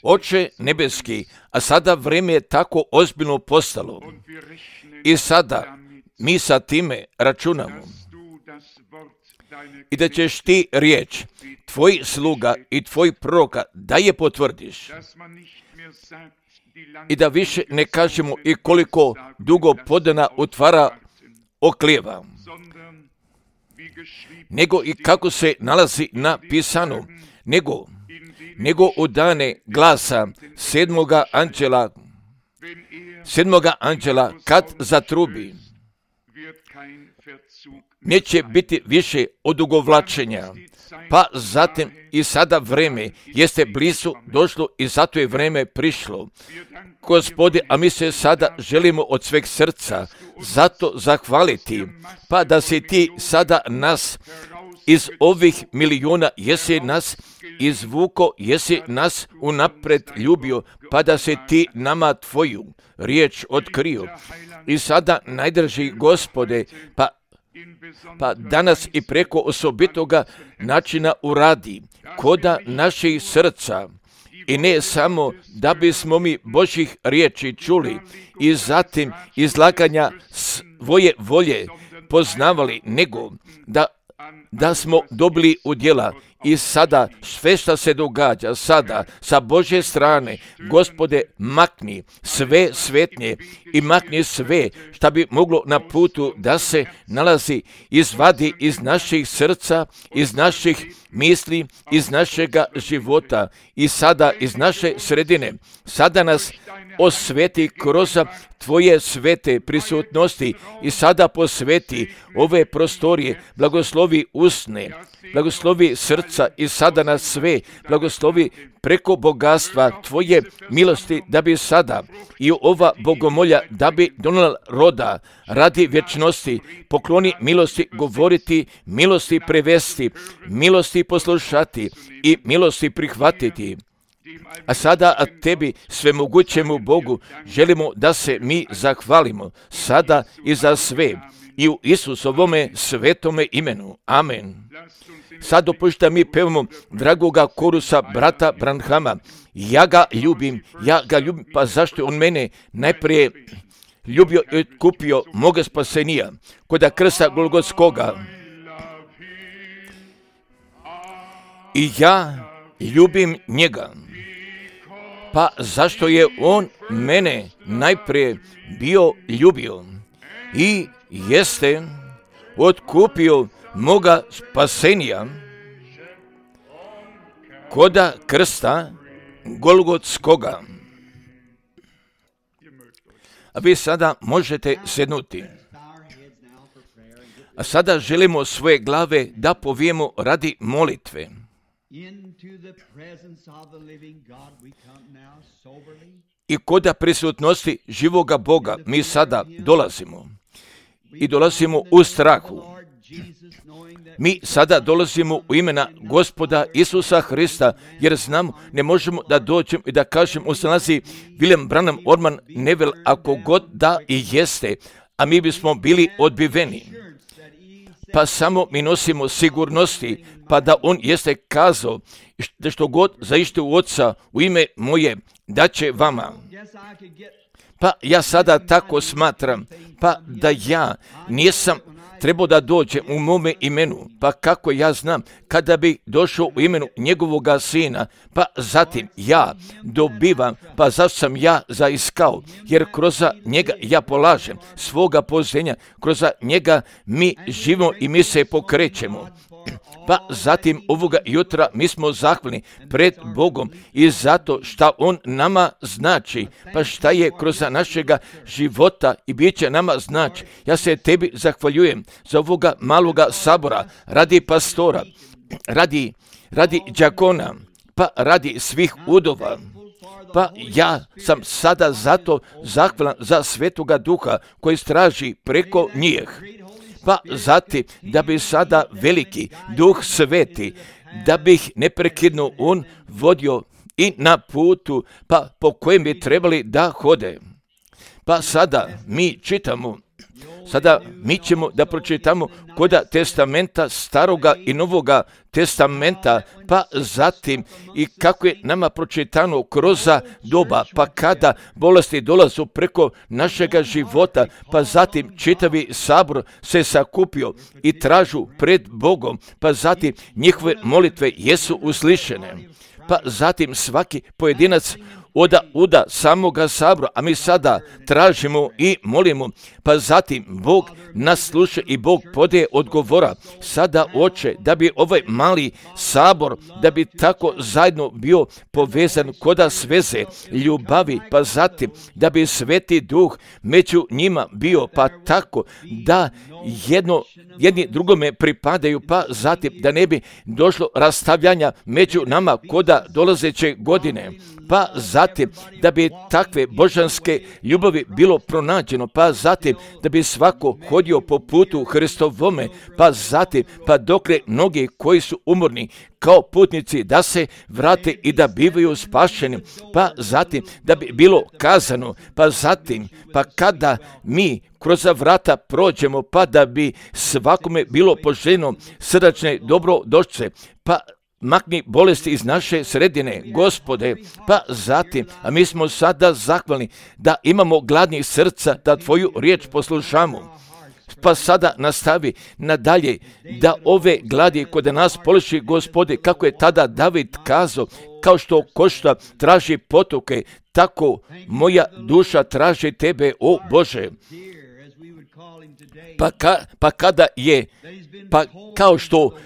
Oče nebeski, a sada vrijeme je tako ozbiljno postalo i sada mi sa time računamo i da ćeš ti riječ tvoj sluga i tvoj proroka da je potvrdiš i da više ne kažemo i koliko dugo podana utvara oklijeva, nego i kako se nalazi napisano, nego u dane glasa sedmoga anđela kad zatrubi, neće biti više odugovlačenja. Pa zatim i sada vrijeme jeste blizu došlo i zato je vrijeme prišlo. Gospode, a mi se sada želimo od sveg srca zato zahvaliti, pa da si ti sada nas iz ovih milijuna, jesi nas izvuko, jesi nas unapred ljubio, pa da se ti nama tvoju riječ otkrio. I sada najdrži Gospode, pa danas i preko osobitoga načina uradi koda naših srca i ne samo da bismo mi Božjih riječi čuli i zatim izlaganja svoje volje poznavali, nego da smo dobili udjela. I sada sve što se događa sada sa Božje strane, Gospode, makni sve svetnje i makni sve što bi moglo na putu da se nalazi, izvadi iz naših srca, iz naših misli, iz našega života i sada iz naše sredine. Sada nas osveti kroz tvoje svete prisutnosti i sada posveti ove prostorije, blagoslovi usne, blagoslovi srca i sada nas sve blagoslovi preko bogatstva tvoje milosti, da bi sada i ova bogomolja da bi donijela roda radi vječnosti. Pokloni milosti govoriti, milosti prevesti, milosti poslušati i milosti prihvatiti. A sada tebi, svemogućemu Bogu, želimo da se mi zahvalimo sada i za sve i u Isusovome svetome imenu. Amen. Sad dopušta mi pevamo dragoga korusa brata Branhama. Ja ga ljubim, pa zašto on mene najprije ljubio i kupio moga spasenija koda krsta Golgotskoga. I ja ljubim njega. Pa zašto je on mene najprije bio ljubio i jeste otkupio moga spasenija koda krsta Golgotskoga. A vi sada možete sednuti. A sada želimo svoje glave da povijemo radi molitve. I koda prisutnosti živoga Boga mi sada dolazimo. I dolazimo u strahu. Mi sada dolazimo u imena Gospoda Isusa Hrista, jer znamo, ne možemo da dođemo i da kažemo, se nalazi William Branham Orman Neville, ako god da i jeste, a mi bismo bili odbiveni. Pa samo mi nosimo sigurnosti, pa da on jeste kazao da što god zaište u Oca u ime moje, da će vama. Pa ja sada tako smatram, pa da ja nisam trebao da dođem u mome imenu, pa kako ja znam, kada bi došao u imenu njegovoga sina, pa zatim ja dobivam, pa zašto sam ja zaiskao, jer kroz njega ja polažem svoga poznanja, kroz njega mi živimo i mi se pokrećemo. Pa zatim ovoga jutra mi smo zahvalni pred Bogom i zato šta On nama znači, pa šta je kroz našega života i bit će nama znači. Ja se tebi zahvaljujem za ovoga maloga sabora, radi pastora, radi đakona, pa radi svih udova. Pa ja sam sada zato zahvalan za Svetoga Duha koji straži preko njih. Pa zatim da bi sada veliki Duh Sveti, da bi ih neprekidno on vodio i na putu, pa po kojem bi trebali da hode. Pa sada mi čitamo sada mi ćemo da pročitamo koda testamenta, staroga i novoga testamenta, pa zatim i kako je nama pročitano kroz doba, pa kada bolesti dolazu preko našega života, pa zatim čitavi sabor se sakupio i tražu pred Bogom, pa zatim njihove molitve jesu uslišene. Pa zatim svaki pojedinac oda samoga sabora, a mi sada tražimo i molimo, pa zatim Bog nas sluša i Bog podaje odgovora. Sada Oče, da bi ovaj mali sabor, da bi tako zajedno bio povezan koda sveze ljubavi, pa zatim da bi Sveti Duh među njima bio, pa tako da jedni drugome pripadaju, pa zatim da ne bi došlo rastavljanja među nama koda dolazeće godine, pa zatim da bi takve božanske ljubavi bilo pronađeno, pa zatim da bi svako hodio po putu Hristovome, pa zatim pa dokle mnogi koji su umorni kao putnici da se vrate i da bivaju spašeni, pa zatim da bi bilo kazano, pa zatim pa kada mi kroz vrata prođemo, pa da bi svakome bilo poželjno srdačne dobrodošlice, pa makni bolesti iz naše sredine, Gospode, pa zatim, a mi smo sada zahvalni da imamo gladnih srca, da Tvoju riječ poslušamo. Pa sada nastavi nadalje da ove gladi kod nas poliši, Gospode, kako je tada David kazao, kao što košta traži potoke, tako moja duša traži Tebe, o Bože. Pa kada je, pa kao što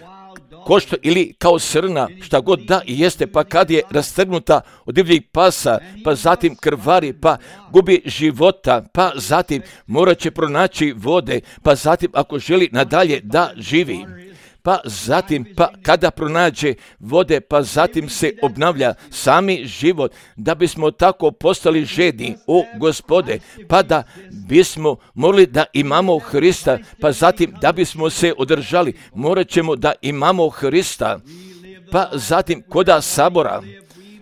košta ili kao srna, šta god da i jeste, pa kad je rastrgnuta od divljih pasa, pa zatim krvari, pa gubi života, pa zatim morat će pronaći vode, pa zatim ako želi nadalje da živi, pa zatim pa kada pronađe vode, pa zatim se obnavlja sami život, da bismo tako postali žedni, o Gospode, pa da bismo morali da imamo Hrista, pa zatim da bismo se održali, morat ćemo da imamo Hrista, pa zatim koda sabora,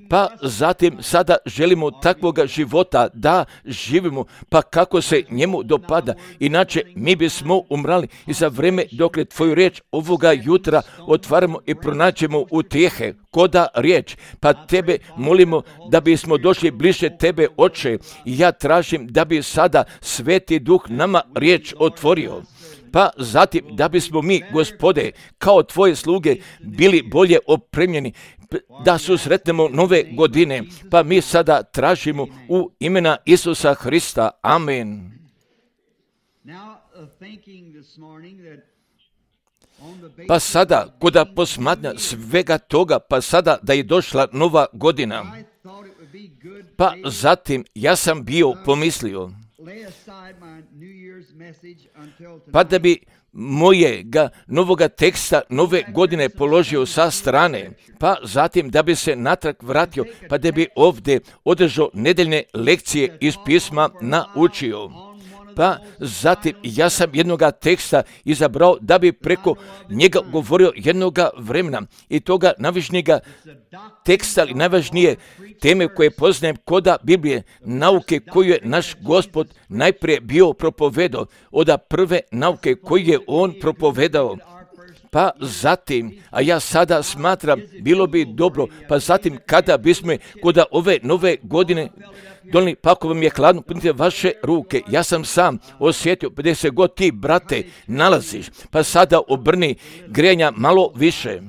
pa zatim sada želimo takvoga života da živimo, pa kako se njemu dopada, inače mi bismo umrali i za vreme dokle Tvoju riječ ovoga jutra otvaramo i pronađemo utjehe koda riječ, pa Tebe molimo da bismo došli bliže Tebe, Oče, i ja tražim da bi sada Sveti Duh nama riječ otvorio. Pa zatim da bismo mi, Gospode, kao Tvoje sluge bili bolje opremljeni, da susretnemo nove godine, pa mi sada tražimo u imena Isusa Hrista. Amen. Pa sada, koda posmatnja svega toga, pa sada da je došla nova godina, pa zatim ja sam bio pomislio, pa da bi mojega novoga teksta nove godine položio sa strane, pa zatim da bi se natrag vratio, pa da bi ovdje održao nedeljne lekcije iz pisma naučio. Pa zatim ja sam jednoga teksta izabrao da bi preko njega govorio jednoga vremena i toga najvažnijega teksta ili najvažnije teme koje poznajem koda Biblije, nauke koju je naš Gospod najprije bio propovedao, od prve nauke koju je On propovedao. Pa zatim, a ja sada smatram, bilo bi dobro, pa zatim kada bismo kod ove nove godine donijeli, pa ako vam je hladno, punite vaše ruke. Ja sam sam osjetio, 50 god ti, brate, nalaziš, pa sada obrni grijanja malo više.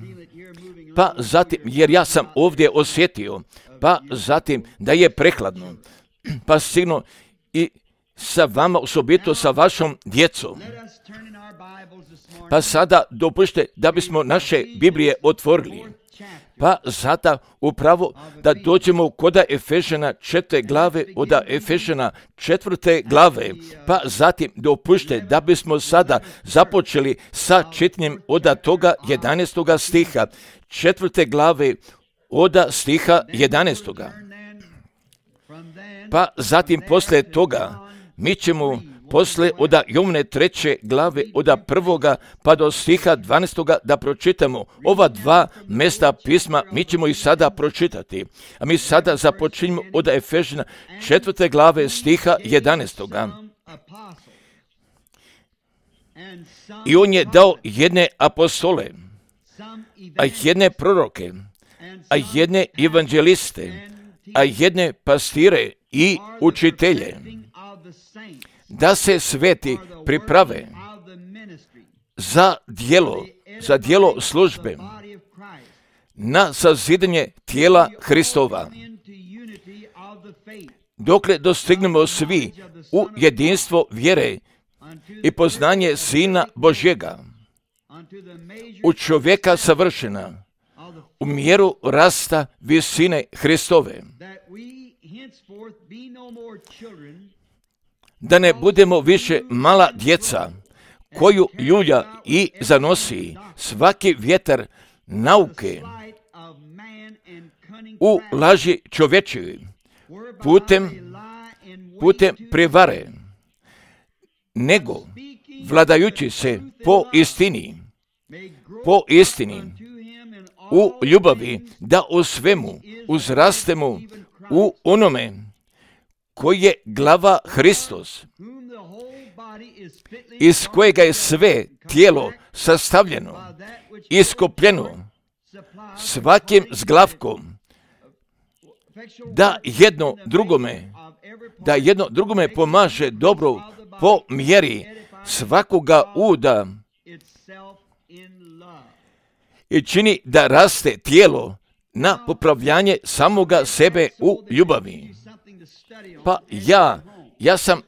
Pa zatim, jer ja sam ovdje osjetio, pa zatim da je prehladno, pa sigurno i sa vama, osobito sa vašom djecom. Pa sada dopušte da bismo naše Biblije otvorili. Pa sada upravo da dođemo koda Efežana 4. glave, od Efežana 4. glave, pa zatim dopušte da bismo sada započeli sa čitanjem od toga 11. stiha, 4. glave od stiha 11. Pa zatim posle toga mi ćemo posle od Jovne 3. glave od 1. pa do stiha 12. da pročitamo ova dva mesta pisma, mi ćemo ih sada pročitati. A mi sada započinjemo od Efežana 4. glave stiha 11. I on je dao jedne apostole, a jedne proroke, a jedne evanđeliste, a jedne pastire i učitelje, da se sveti priprave za djelo službe, na sazidanje tijela Hristova, dokle dostignemo svi u jedinstvo vjere i poznanje Sina Božjega, u čovjeka savršena, u mjeru rasta visine Hristove, da ne budemo više mala djeca, koju ljulja i zanosi svaki vjetar nauke u laži čovječevi, putem prevare, nego vladajući se po istini, u ljubavi, da u svemu uzrastemo u onome koji je glava Hristos, iz kojega je sve tijelo sastavljeno, iskopljeno svakim zglavkom, da jedno drugome pomaže dobro po mjeri svakoga uda i čini da raste tijelo na popravljanje samoga sebe u ljubavi. Pa ja sam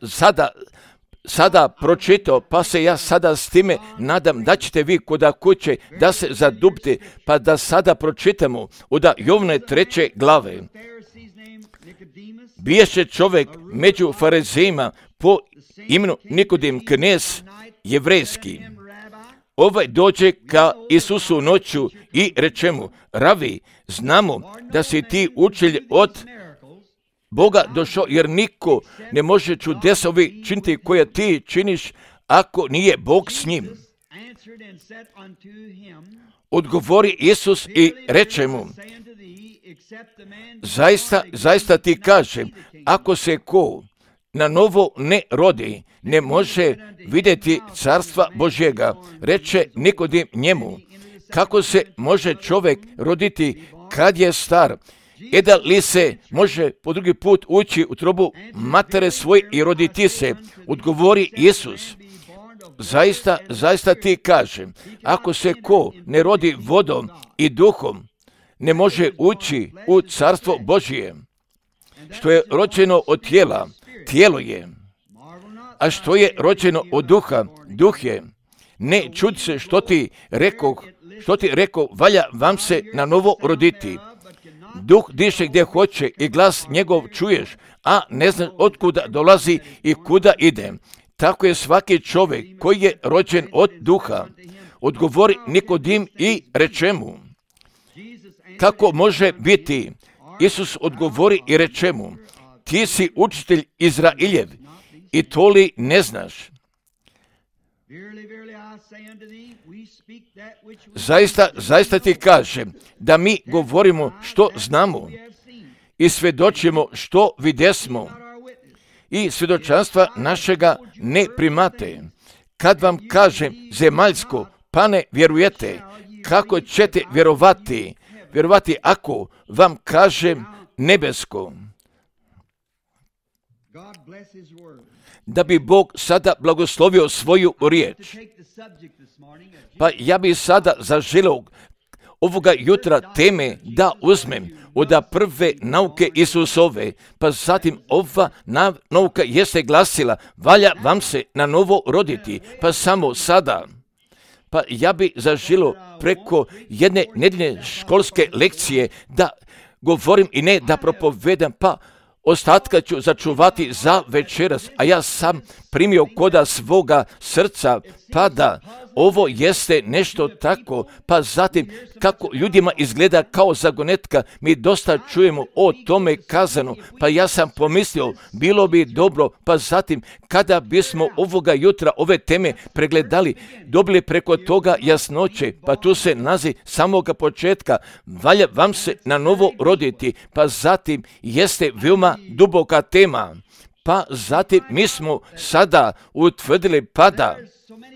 sada pročitao, pa se ja sada s time nadam da ćete vi koda kuće da se zadubite, pa da sada pročitamo od Jovne 3. glave. Biješe čovjek među farizejima po imenu Nikodim, knez jevrejski. Ovaj dođe ka Isusu noću i reče mu: Ravi, znamo da si ti učitelj od Boga došao, jer niko ne može čudesovi činiti koje ti činiš ako nije Bog s njim. Odgovori Isus i reče mu: Zaista ti kažem, ako se ko na novo ne rodi, ne može vidjeti carstva Božjega. Reče Nikodim njemu: Kako se može čovjek roditi kad je star? Da li se može po drugi put ući u trobu matere svoje i roditi se? Odgovori Isus: Zaista ti kažem, ako se ko ne rodi vodom i duhom, ne može ući u carstvo Božje. Što je rođeno od tijela, tijelo je, a što je rođeno od duha, duh je. Ne čudi se što ti rekao, valja vam se na novo roditi. Duh diše gdje hoće i glas njegov čuješ, a ne znaš otkuda dolazi i kuda ide. Tako je svaki čovjek koji je rođen od duha. Odgovori Nikodim i reče mu: Kako može biti? Isus odgovori i reče mu: Ti si učitelj Izrailjev i to li ne znaš? Zaista ti kažem da mi govorimo što znamo i svjedočimo što videsmo i svjedočanstva našega ne primate. Kad vam kažem zemaljsko, pa ne vjerujete, kako ćete vjerovati ako vam kažem nebesko? Da bi Bog sada blagoslovio svoju riječ. Pa ja bi sada zaželio ovoga jutra teme da uzmem od prve nauke Isusove, pa zatim ova nauka jeste glasila: valja vam se na novo roditi, pa samo sada. Pa ja bi zaželio preko jedne nedeljne školske lekcije da govorim i ne da propovedam, pa ostatka ću začuvati za večeras, a ja sam primio koda svoga srca, pa da ovo jeste nešto tako, pa zatim kako ljudima izgleda kao zagonetka, mi dosta čujemo o tome kazano, pa ja sam pomislio, bilo bi dobro, pa zatim kada bismo ovoga jutra ove teme pregledali, dobili preko toga jasnoće, pa tu se nalazi samoga početka, valja vam se na novo roditi, pa zatim jeste veoma duboka tema, pa zatim mi smo sada utvrdili, pa da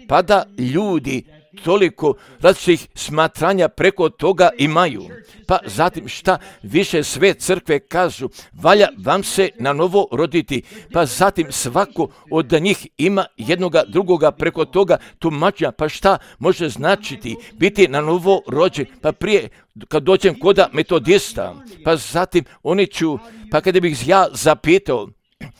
pa da ljudi toliko različitih smatranja preko toga imaju. Pa zatim šta više sve crkve kažu, valja vam se na novo roditi, pa zatim svako od njih ima jednoga drugoga preko toga tumačenja, pa šta može značiti biti na novo rođen, pa prije kad dođem koda metodista, pa zatim oni ću, pa kada bih ja zapitao,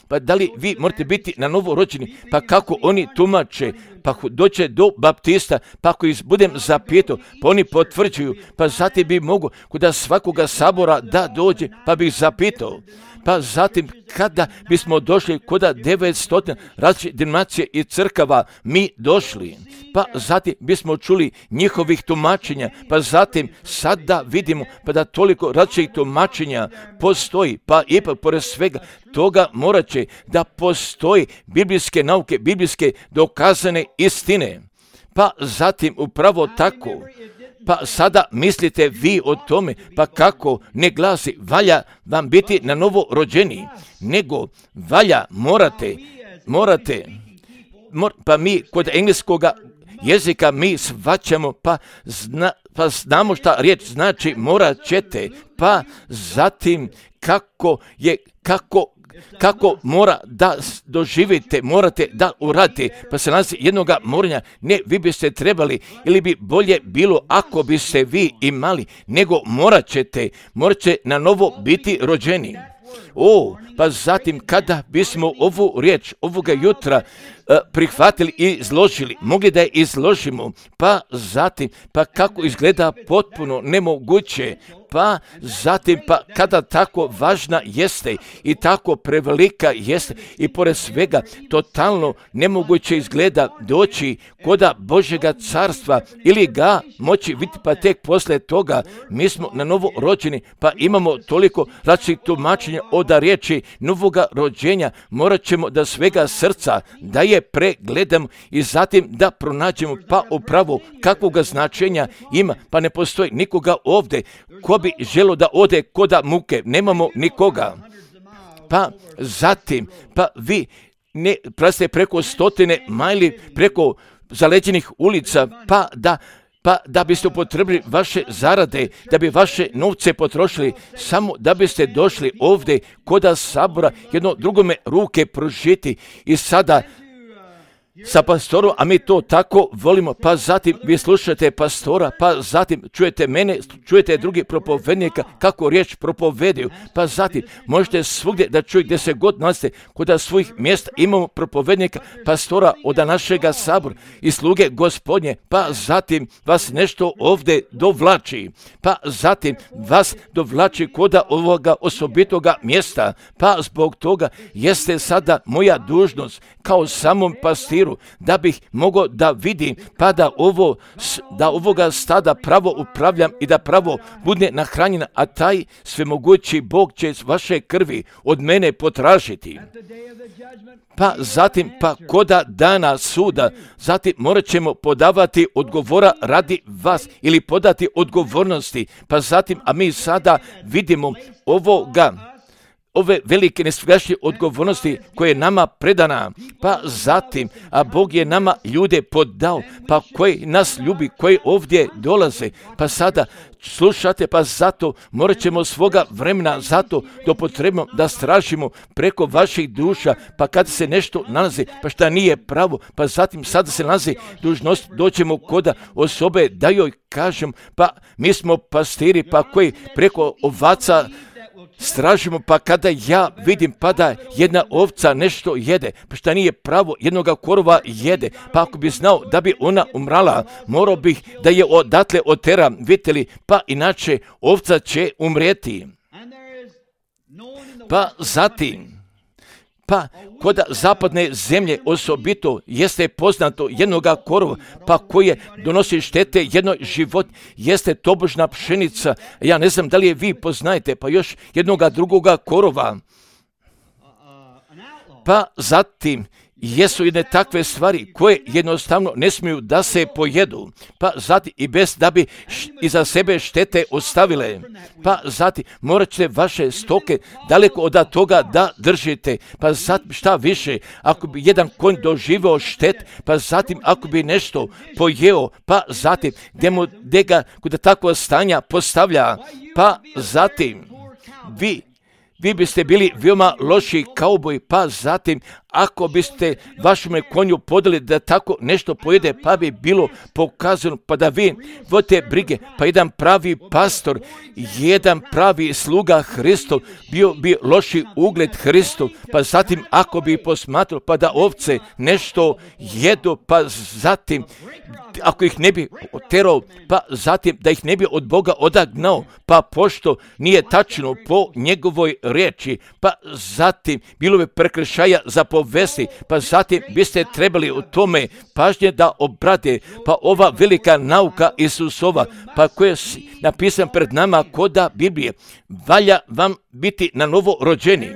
pa da li vi morate biti na novo rođeni, pa kako oni tumače, pa doće do baptista, pa ako ih budem zapitao, pa oni potvrđuju, pa zatim bi mogu kod svakoga sabora da dođe, pa bih zapitao. Pa zatim kada bismo došli kod 900 različitih denominacija i crkava, mi došli, pa zatim bismo čuli njihovih tumačenja, pa zatim sada vidimo pa da toliko različitih tumačenja postoji, pa ipak pored svega toga morat će da postoji biblijske nauke, biblijske dokazane istine. Pa zatim upravo tako. Pa sada mislite vi o tome, pa kako ne glasi valja vam biti na novo rođeni, nego valja morate, pa mi kod engleskoga jezika mi shvaćamo, pa znamo šta riječ znači morat ćete, pa zatim kako mora da doživite, morate da uradite, pa se nalazi jednoga morenja, ne vi biste trebali ili bi bolje bilo ako biste vi imali, nego morat ćete na novo biti rođeni. Pa zatim kada bismo ovu riječ ovoga jutra prihvatili i izložili, mogli da je izložimo, pa zatim, pa kako izgleda potpuno nemoguće, pa zatim, pa kada tako važna jeste i tako prevelika jeste i pored svega totalno nemoguće izgleda doći koda Božjega carstva ili ga moći vidjeti, pa tek poslije toga mi smo na novo rođeni, pa imamo toliko različitih tumačenja od riječi novoga rođenja, morat ćemo da svega srca da je pregledamo i zatim da pronađemo pa upravo kakvoga značenja ima, pa ne postoji nikoga ovdje ko bi želo da ode koda muke, nemamo nikoga. Pa zatim, pa vi ne prelazite preko 100 majli, preko zaleđenih ulica, pa da biste upotrebili vaše zarade, da bi vaše novce potrošili, samo da biste došli ovdje koda sabora, jedno drugome ruke pružiti i sada sa pastorom, a mi to tako volimo, pa zatim vi slušate pastora, pa zatim čujete mene, čujete drugi propovednika kako riječ propovedaju, pa zatim možete svugdje da čujete gdje se god nalazite, kod svojih mjesta imamo propovednika, pastora od našega sabora i sluge Gospodnje, pa zatim vas nešto ovdje dovlači, pa zatim vas dovlači kod ovoga osobitoga mjesta, pa zbog toga jeste sada moja dužnost kao samom pastiru da bih mogao da vidim, pa da ovoga stada pravo upravljam i da pravo bude nahranjena, a taj svemogući Bog će vaše krvi od mene potražiti. Pa zatim, pa koda dana suda, zatim morat ćemo podavati odgovora radi vas ili podati odgovornosti, pa zatim, a mi sada vidimo ove velike nesvrašnje odgovornosti koje je nama predana, pa zatim, a Bog je nama ljude podao, pa koji nas ljubi, koji ovdje dolaze, pa sada slušate, pa zato morat ćemo svoga vremena zato da potrebno da stražimo preko vaših duša, pa kad se nešto nalazi, pa šta nije pravo, pa zatim sada se nalazi dužnost, doćemo koda osobe da joj kažem, pa mi smo pastiri, pa koji preko ovaca stražimo, pa kada ja vidim pa da jedna ovca nešto jede, pa šta nije pravo, jednoga korova jede, pa ako bi znao da bi ona umrala, morao bih da je odatle oteram, vidite li, pa inače ovca će umrijeti. Pa zatim, pa kod zapadne zemlje osobito jeste poznato jednoga korova, pa koje donosi štete jednoj život, jeste tobožna pšenica. Ja ne znam da li je vi poznajete, pa još jednoga drugoga korova. Pa zatim jesu jedne takve stvari koje jednostavno ne smiju da se pojedu, pa zatim i bez da bi iza sebe štete ostavile, pa zatim morat ćete vaše stoke daleko od toga da držite, pa zatim šta više, ako bi jedan konj doživio štet, pa zatim ako bi nešto pojeo, pa zatim gdje ga kod takvog stanja postavlja, pa zatim vi biste bili veoma loši kauboj, pa zatim ako biste vašem konju podali da tako nešto pojede, pa bi bilo pokazano, pa da vi vodite brige, pa jedan pravi pastor, jedan pravi sluga Hristov, bio bi loši ugled Hristov, pa zatim ako bi posmatrao, pa da ovce nešto jedu, pa zatim ako ih ne bi oterao, pa zatim da ih ne bi od Boga odagnao, pa pošto nije tačno po njegovoj riječi, pa zatim bilo bi prekršaja za povesti, pa zatim biste trebali u tome pažnje da obrate, pa ova velika nauka Isusova, pa koja je napisan pred nama koda Biblije, valja vam biti na novo rođeni.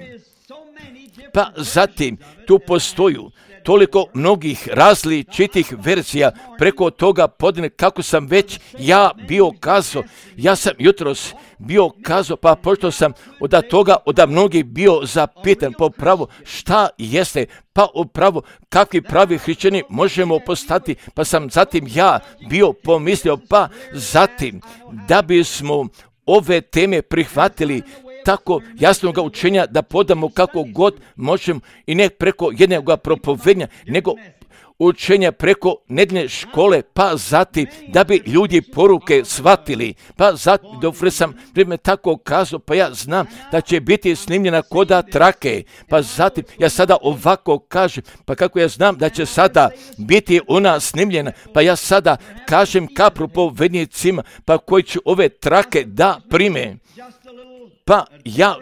Pa zatim tu postoju toliko mnogih različitih verzija preko toga podne, kako sam već ja bio kazao. Ja sam jutros bio kazao, pa pošto sam od toga od mnogih bio zapitan po pravo šta jeste, pa upravo kakvi pravi hrišćani možemo postati, pa sam zatim ja bio pomislio, pa zatim da bismo ove teme prihvatili tako jasnog učenja da podamo kako god možemo i ne preko jednog propovednja, nego učenja preko nedjeljne škole, pa zatim da bi ljudi poruke shvatili, pa zatim dobro sam vrijeme tako kazao, pa ja znam da će biti snimljena koda trake, pa zatim ja sada ovako kažem, pa kako ja znam da će sada biti ona snimljena, pa ja sada kažem ka propovednicima, pa koji će ove trake da prime. Pa ja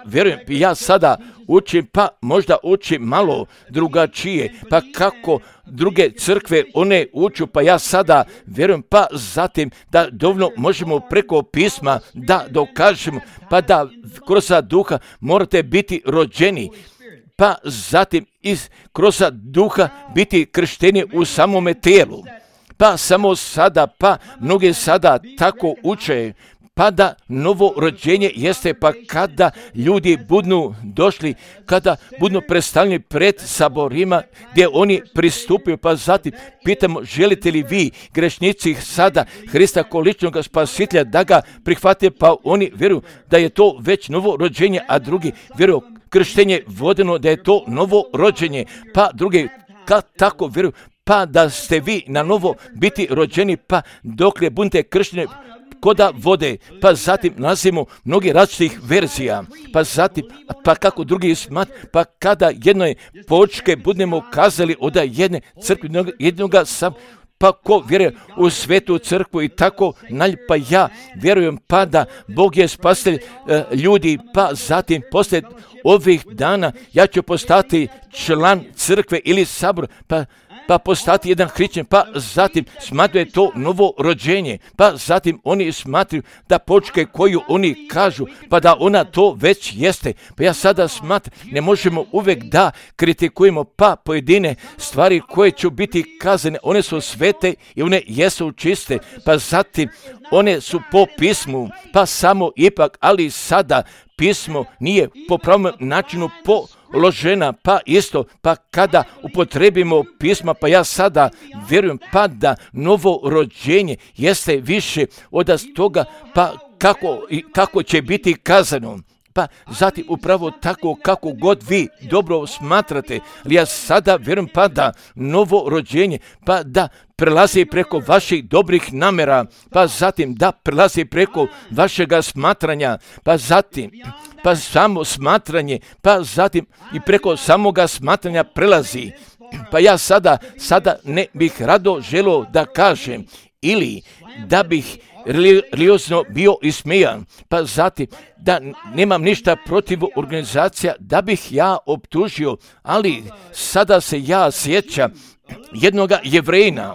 vjerujem, ja sada učim, pa možda učim malo drugačije, pa kako druge crkve one uču, pa ja sada vjerujem, pa zatim da dovoljno možemo preko pisma da dokažemo, pa da kroz duha morate biti rođeni, pa zatim kroz duha biti kršteni u samome tijelu. Pa samo sada, pa mnogi sada tako uče, pa da novo rođenje jeste pa kada ljudi budu došli, kada budu predstavljeni pred saborima gdje oni pristupaju, pa zatim pitamo želite li vi grešnici sada Hrista kao ličnog spasitelja da ga prihvate, pa oni vjeruju da je to već novo rođenje, a drugi vjeruju krštenje vodeno da je to novo rođenje, pa drugi tako vjeruju pa da ste vi na novo biti rođeni, pa dokle budete kršteni koda vode, pa zatim nalazimo mnogi različitih verzija, pa zatim, pa kako drugi pa kada jednoj počke budemo kazali od jedne crkve, jednoga sam, pa ko vjeruje u svetu crkvu i tako pa ja vjerujem pa da Bog je spasitelj ljudi, pa zatim poslije ovih dana ja ću postati član crkve ili sabor, pa postati jedan hrišćan, pa zatim smatraju to novo rođenje, pa zatim oni smatruju da počke koju oni kažu, pa da ona to već jeste. Pa ja sada smatram, ne možemo uvijek da kritikujemo pa pojedine stvari koje će biti kazane, one su svete i one jesu čiste, pa zatim one su po pismu, pa samo ipak, ali sada pismo nije po pravom načinu položena, pa isto, pa kada upotrebimo pisma, pa ja sada vjerujem pa da novo rođenje jeste više od toga, pa kako će biti kazano. Pa zatim upravo tako kako god vi dobro smatrate, ali ja sada vjerujem pa da novo rođenje, pa da prelazi preko vaših dobrih namjera, pa zatim da prelazi preko vašega smatranja, pa zatim pa samo smatranje, pa zatim i preko samoga smatranja prelazi. Pa ja sada ne bih rado želio da kažem ili da bih religiozno bio ismijan, pa zatim da nemam ništa protiv organizacija da bih ja optužio, ali sada se ja sjećam jednoga Jevrejina,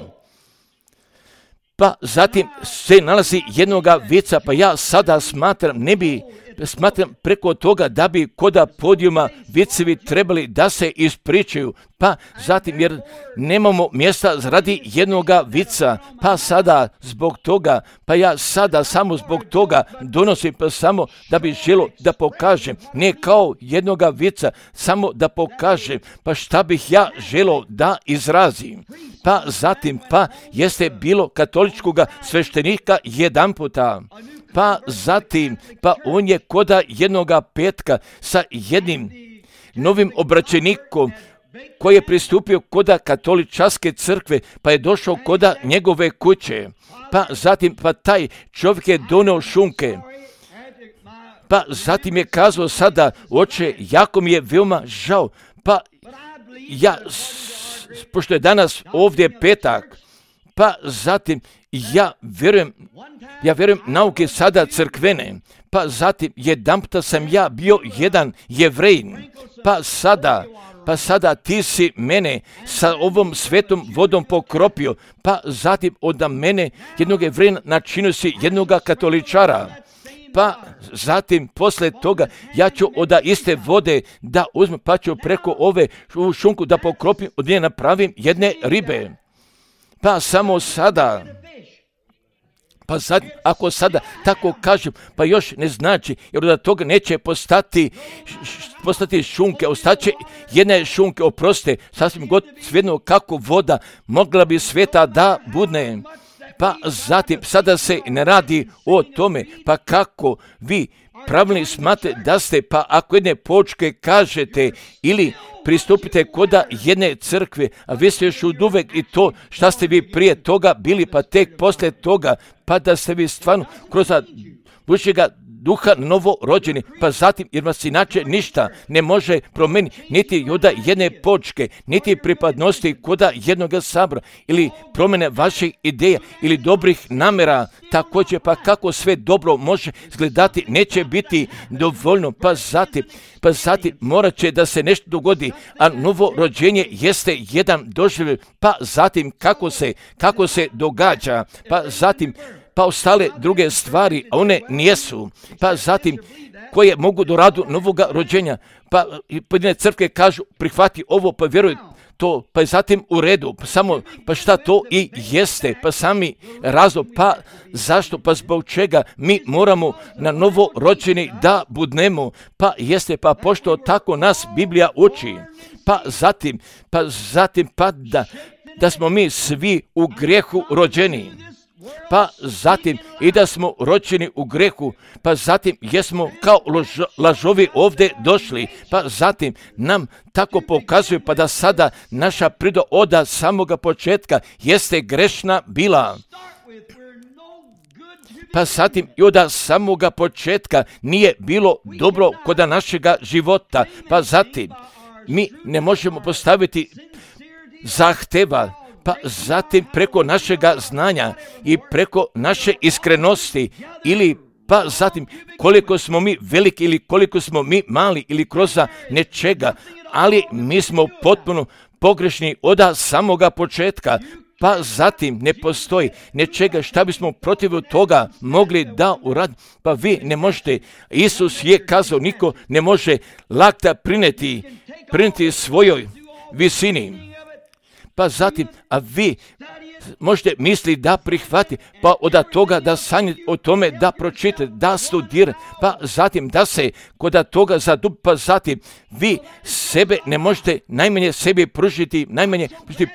pa zatim se nalazi jednoga vica, pa ja sada smatram ne bi smatram preko toga da bi koda podijuma vicevi trebali da se ispričaju, pa zatim jer nemamo mjesta radi jednoga vica, pa sada zbog toga, pa ja sada samo zbog toga donosim, pa samo da bi želo da pokažem, ne kao jednoga vica, samo da pokažem, pa šta bih ja želo da izrazim. Pa zatim, pa jeste bilo katoličkoga sveštenika jedan puta, pa zatim, pa on je koda jednoga petka sa jednim novim obraćenikom koji je pristupio koda katoličanske crkve, pa je došao koda njegove kuće, pa zatim, pa taj čovjek je doneo šunke, pa zatim je kazao sada, oče, jako mi je veoma žao, pa ja, pošto je danas ovdje petak, pa zatim ja vjerujem nauke sada crkvene, pa zatim jedanputa sam ja bio jedan Jevrejin, pa sada ti si mene sa ovom svetom vodom pokropio, pa zatim od mene jednog Jevrejina načinio si jednoga katoličara. Pa zatim posle toga ja ću od iste vode da uzmem, pa ću preko ove šunku da pokropim, od nje napravim jedne ribe. Pa samo sada, pa sad, ako sada tako kažem, pa još ne znači, jer od toga neće postati šunke, ostaće jedne šunke, oproste, sasvim god svejedno kako voda mogla bi sveta da budne. Pa zatim, sada se ne radi o tome, pa kako vi pravilni smatrate da ste, pa ako jedne počke kažete ili pristupite koda jedne crkve, a vi ste još uvek i to šta ste vi prije toga bili, pa tek posle toga, pa da ste vi stvarno kroz Božjega duha novorođeni, pa zatim jer vas inače ništa ne može promeniti, niti joda jedne počke, niti pripadnosti koda jednoga sabora, ili promjene vaših ideja, ili dobrih namjera, također pa kako sve dobro može izgledati, neće biti dovoljno, pa zatim morat će da se nešto dogodi, a novorođenje jeste jedan doživljaj, pa zatim kako se događa, pa zatim pa ostale druge stvari, a one nijesu, pa zatim koje mogu do radu novoga rođenja, pa pojedine crkve kažu prihvati ovo, pa vjeruj to, pa je zatim u redu, pa šta to i jeste, pa sami razlog, pa zašto, pa zbog čega mi moramo na novo rođeni da budnemo, pa jeste, pa pošto tako nas Biblija uči, pa zatim da smo mi svi u grijehu rođeni, pa zatim i da smo rođeni u grehu, pa zatim jesmo kao lažovi ovdje došli, pa zatim nam tako pokazuje, pa da sada naša priroda od samoga početka jeste grešna bila. Pa zatim i od samoga početka nije bilo dobro kod našega života, pa zatim mi ne možemo postaviti zahteva, pa zatim preko našega znanja i preko naše iskrenosti ili pa zatim koliko smo mi veliki ili koliko smo mi mali ili kroz nečega, ali mi smo potpuno pogrešni od samoga početka, pa zatim ne postoji nečega šta bismo protiv toga mogli da uradimo, pa vi ne možete, Isus je kazao, niko ne može lakta prineti svojoj visini. Pa zatim, a vi možete misli da prihvati, pa od toga da sanjate o tome, da pročitate, da studirate, pa zatim da se kod toga zadubi, pa zatim vi sebe ne možete najmanje sebi pružiti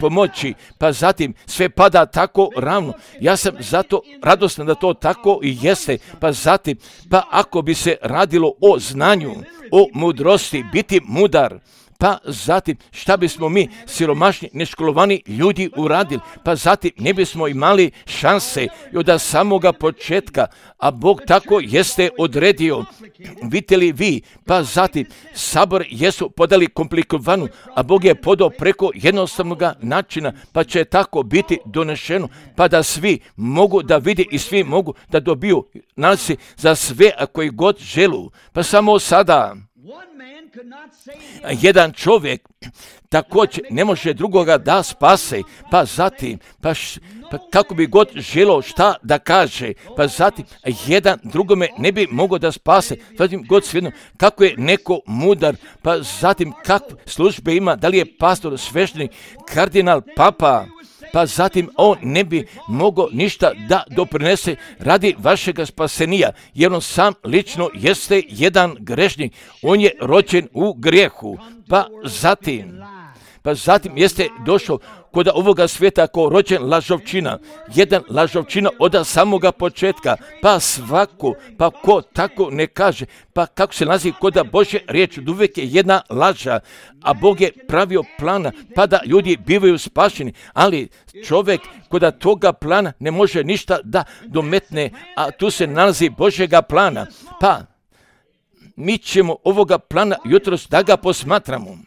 pomoći, pa zatim sve pada tako ravno. Ja sam zato radostan da to tako i jeste, pa zatim, pa ako bi se radilo o znanju, o mudrosti, biti mudar, pa zatim šta bismo mi siromašni, neškolovani ljudi uradili, pa zatim ne bismo imali šanse od samoga početka, a Bog tako jeste odredio. Vidite li vi, pa zatim sabor jesu podali komplikovanu, a Bog je podao preko jednostavnog načina, pa će tako biti donešeno, pa da svi mogu da vidi i svi mogu da dobiju nalazi za sve koji god želu. Pa samo sada jedan čovjek također ne može drugoga da spase, pa zatim, pa kako bi god želio šta da kaže, pa zatim jedan drugome ne bi mogao da spase, zatim god svejedno kako je neko mudar, pa zatim kakve službe ima, da li je pastor, sveštenik, kardinal, papa, pa zatim on ne bi mogao ništa da doprinese radi vašega spasenija, jer on sam lično jeste jedan grešnik, on je rođen u grijehu, pa zatim jeste došao kod ovoga svijeta kao rođen lažovčina, jedan lažovčina od samoga početka, pa svako, pa ko tako ne kaže, pa kako se nalazi kod Božje riječi, uvijek je jedna laža, a Bog je pravio plana, pa da ljudi bivaju spašeni, ali čovjek kod toga plana ne može ništa da dometne, a tu se nalazi Božjega plana, pa mi ćemo ovoga plana jutros da ga posmatramo.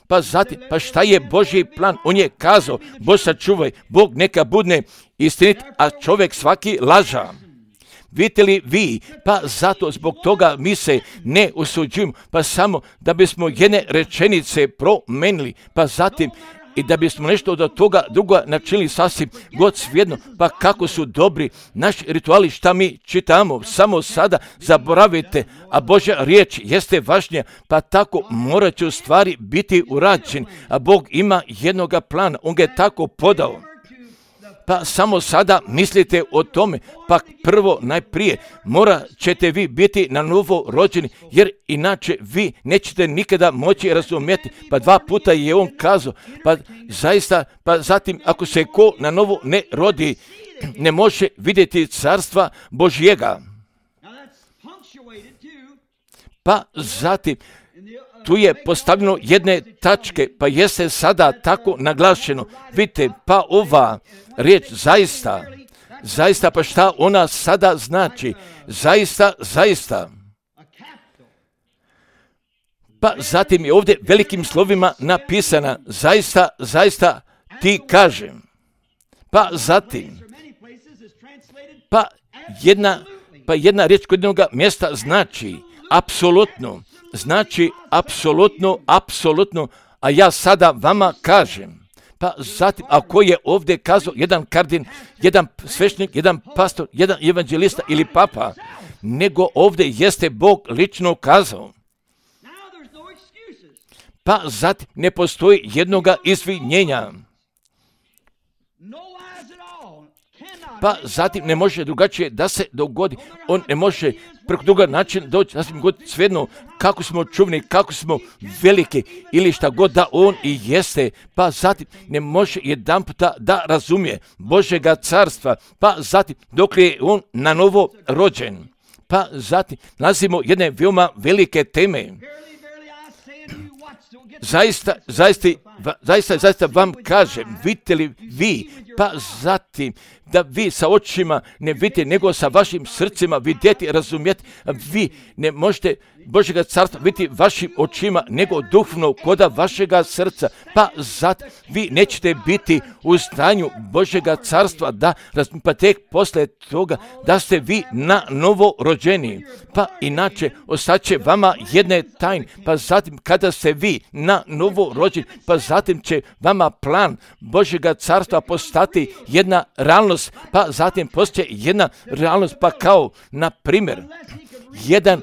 Pa zatim, pa šta je Božji plan? On je kazao, Bog sačuvaj, Bog neka budne istinit, a čovjek svaki laža. Vidite li vi, pa zato zbog toga mi se ne usuđujemo, pa samo da bismo jedne rečenice promenili, pa zatim i da bismo nešto od toga druga načinili sasvim god svejedno, pa kako su dobri naši rituali, šta mi čitamo, samo sada zaboravite, a Božja riječ jeste važnija, pa tako morat će u stvari biti urađen, a Bog ima jednoga plana, on ga je tako podao. Pa samo sada mislite o tome, pa prvo najprije morat ćete vi biti na novo rođeni, jer inače vi nećete nikada moći razumjeti. Pa 2 puta je on kazao, pa zaista, pa zatim ako se ko na novo ne rodi, ne može vidjeti carstva Božjega. Pa zatim, tu je postavljeno jedne tačke, pa jeste sada tako naglašeno. Vidite, pa ova riječ zaista, pa šta ona sada znači? Zaista. Pa zatim je ovdje velikim slovima napisana, zaista ti kažem. Pa zatim, pa jedna riječ kod jednog mjesta znači apsolutno, a ja sada vama kažem. Pa zatim, ako je ovdje kazao jedan kardin, jedan sveštenik, jedan pastor, jedan evanđelista ili papa, nego ovdje jeste Bog lično kazao. Pa zatim ne postoji jednoga izvinjenja. Pa zatim ne može drugačije da se dogodi. On ne može preko druga način doći, sasvim god svejedno kako smo čuvni, kako smo veliki ili šta god da on i jeste. Pa zatim ne može jedan puta da razumije Božjega carstva. Pa zatim dok je on na novo rođen. Pa zatim nalazimo jedne veoma velike teme. Zaista vam kažem, vidite li vi, pa zatim da vi sa očima ne vidite, nego sa vašim srcima vidjeti, razumjeti, vi ne možete Božjega carstva vidjeti vašim očima, nego duhovno koda vašega srca, pa zatim vi nećete biti u stanju Božjega carstva da pa tek posle toga da ste vi na novo rođeni, pa inače ostaće vama jedne tajne, pa zatim kada ste vi na novo rođeni, pa zatim će vama plan Božjega carstva postati jedna realnost, pa zatim postoje jedna realnost, pa kao na primjer jedan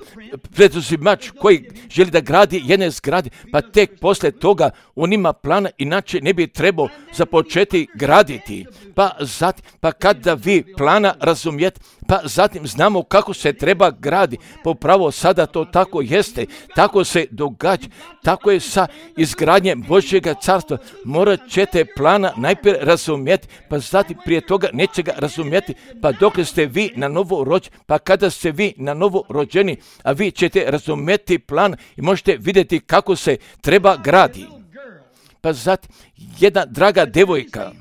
preduzimač koji želi da gradi jedne zgrade, pa tek posle toga on ima plana, inače ne bi trebao započeti graditi. Pa zatim, pa kada vi plana razumijete, pa zatim znamo kako se treba gradi. Pa upravo sada to tako jeste, tako se događa, tako je sa izgradnjem Božjega carstva. Morat ćete plana najprije razumjeti, pa zatim prije toga neće ga razumjeti, pa dok ste vi na novo rođeni, pa kada ste vi na novo rođeni, a vi ćete razumjeti plan i možete vidjeti kako se treba gradi. Pa zatim jedna draga devojka,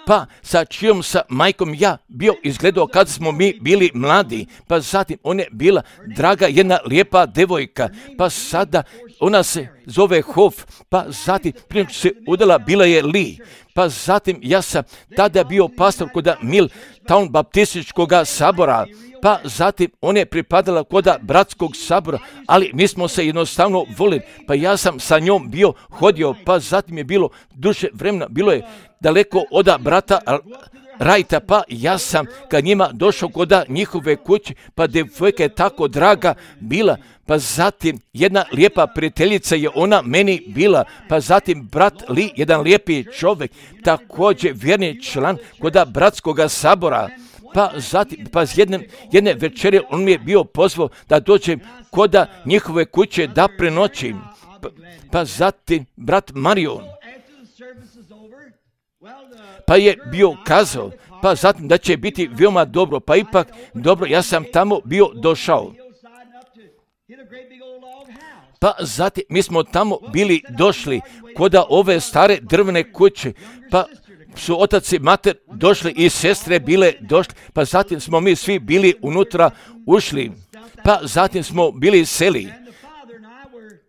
pa sa čijom sa majkom ja bio izgledao kad smo mi bili mladi, pa zatim ona je bila draga jedna lijepa devojka, pa sada ona se zove Hof, pa zatim prije što se udala bila je Li, pa zatim ja sam tada bio pastor kod Milltown baptističkog sabora, pa zatim ona je pripadala koda bratskog sabora, ali mi smo se jednostavno volili, pa ja sam sa njom bio hodio, pa zatim je bilo duže vremena, bilo je daleko od brata Rajta, pa ja sam kad njima došao koda njihove kuće, pa devojka je tako draga bila, pa zatim jedna lijepa prijateljica je ona meni bila, pa zatim brat Li, jedan lijepi čovjek, također vjerni član koda bratskoga sabora, pa zatim, pa jedne večere on mi je bio pozvao da dođem koda njihove kuće da prenoćim, pa zatim brat Marion, pa je bio kazao, pa zatim da će biti veoma dobro, pa ipak dobro, ja sam tamo bio došao. Pa zatim mi smo tamo bili došli koda ove stare drvene kuće, pa su otac i mater došli i sestre bile došli, pa zatim smo mi svi bili unutra ušli, pa zatim smo bili seli.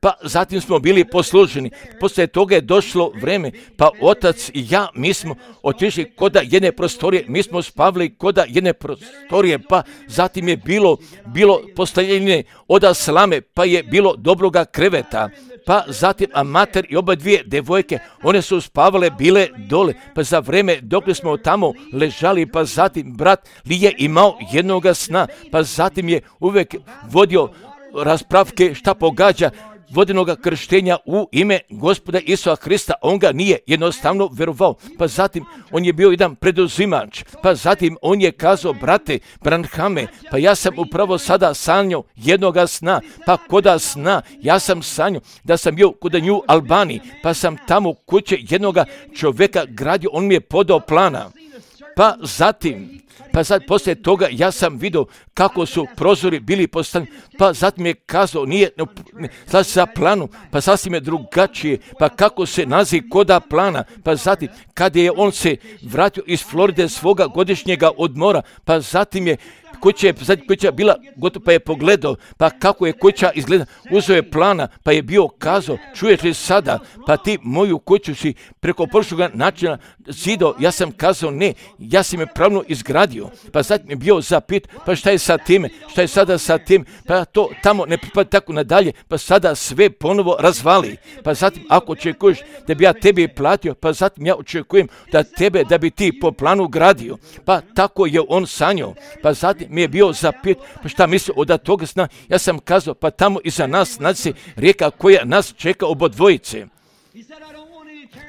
Pa zatim smo bili posluženi. Poslije toga je došlo vreme, pa otac i ja, mi smo otišli koda jedne prostorije, mi smo spavili koda jedne prostorije, pa zatim je bilo postavljene od slame, pa je bilo dobroga kreveta, pa zatim a mater i oba dvije devojke, one su spavale, bile dole, pa za vreme dok smo tamo ležali, pa zatim brat Li je imao jednoga sna, pa zatim je uvijek vodio raspravke šta pogađa, vodenoga krštenja u ime Gospoda Isusa Hrista, on ga nije jednostavno verovao, pa zatim on je bio jedan preduzimač, pa zatim on je kazao, brate Branhame, pa ja sam upravo sada sanjao jednoga sna, pa koda sna, ja sam sanjao da sam bio kod New Albani, pa sam tamo kuće jednoga čovjeka gradio, on mi je podao plana, pa zatim poslije toga ja sam vidio kako su prozori bili postavljeni, pa zatim je kazao, nije za planu, pa sasvim je drugačije, pa kako se naziv koda plana, pa zatim kada je on se vratio iz Floride svoga godišnjega odmora, pa zatim je kuća bila gotovo, pa je pogledao, pa kako je kuća izgleda, uzeo je plana, pa je bio kazao, čuješ li sada, pa ti moju kuću si preko prošloga načina zidao, ja sam kazao ne, ja sam je pravno izgradio, pa zatim je bio zapit, pa šta je sa time, šta je sada sa tim, pa to tamo ne pripada tako nadalje, pa sada sve ponovo razvali, pa zatim ako očekuješ da bi ja tebi platio, pa zatim ja očekujem da bi ti po planu gradio, pa tako je on sanjao, pa zatim mi je bio zapit, pa šta misli od toga sna, ja sam kazao, pa tamo iza nas naći rijeka koja nas čeka obodvojice.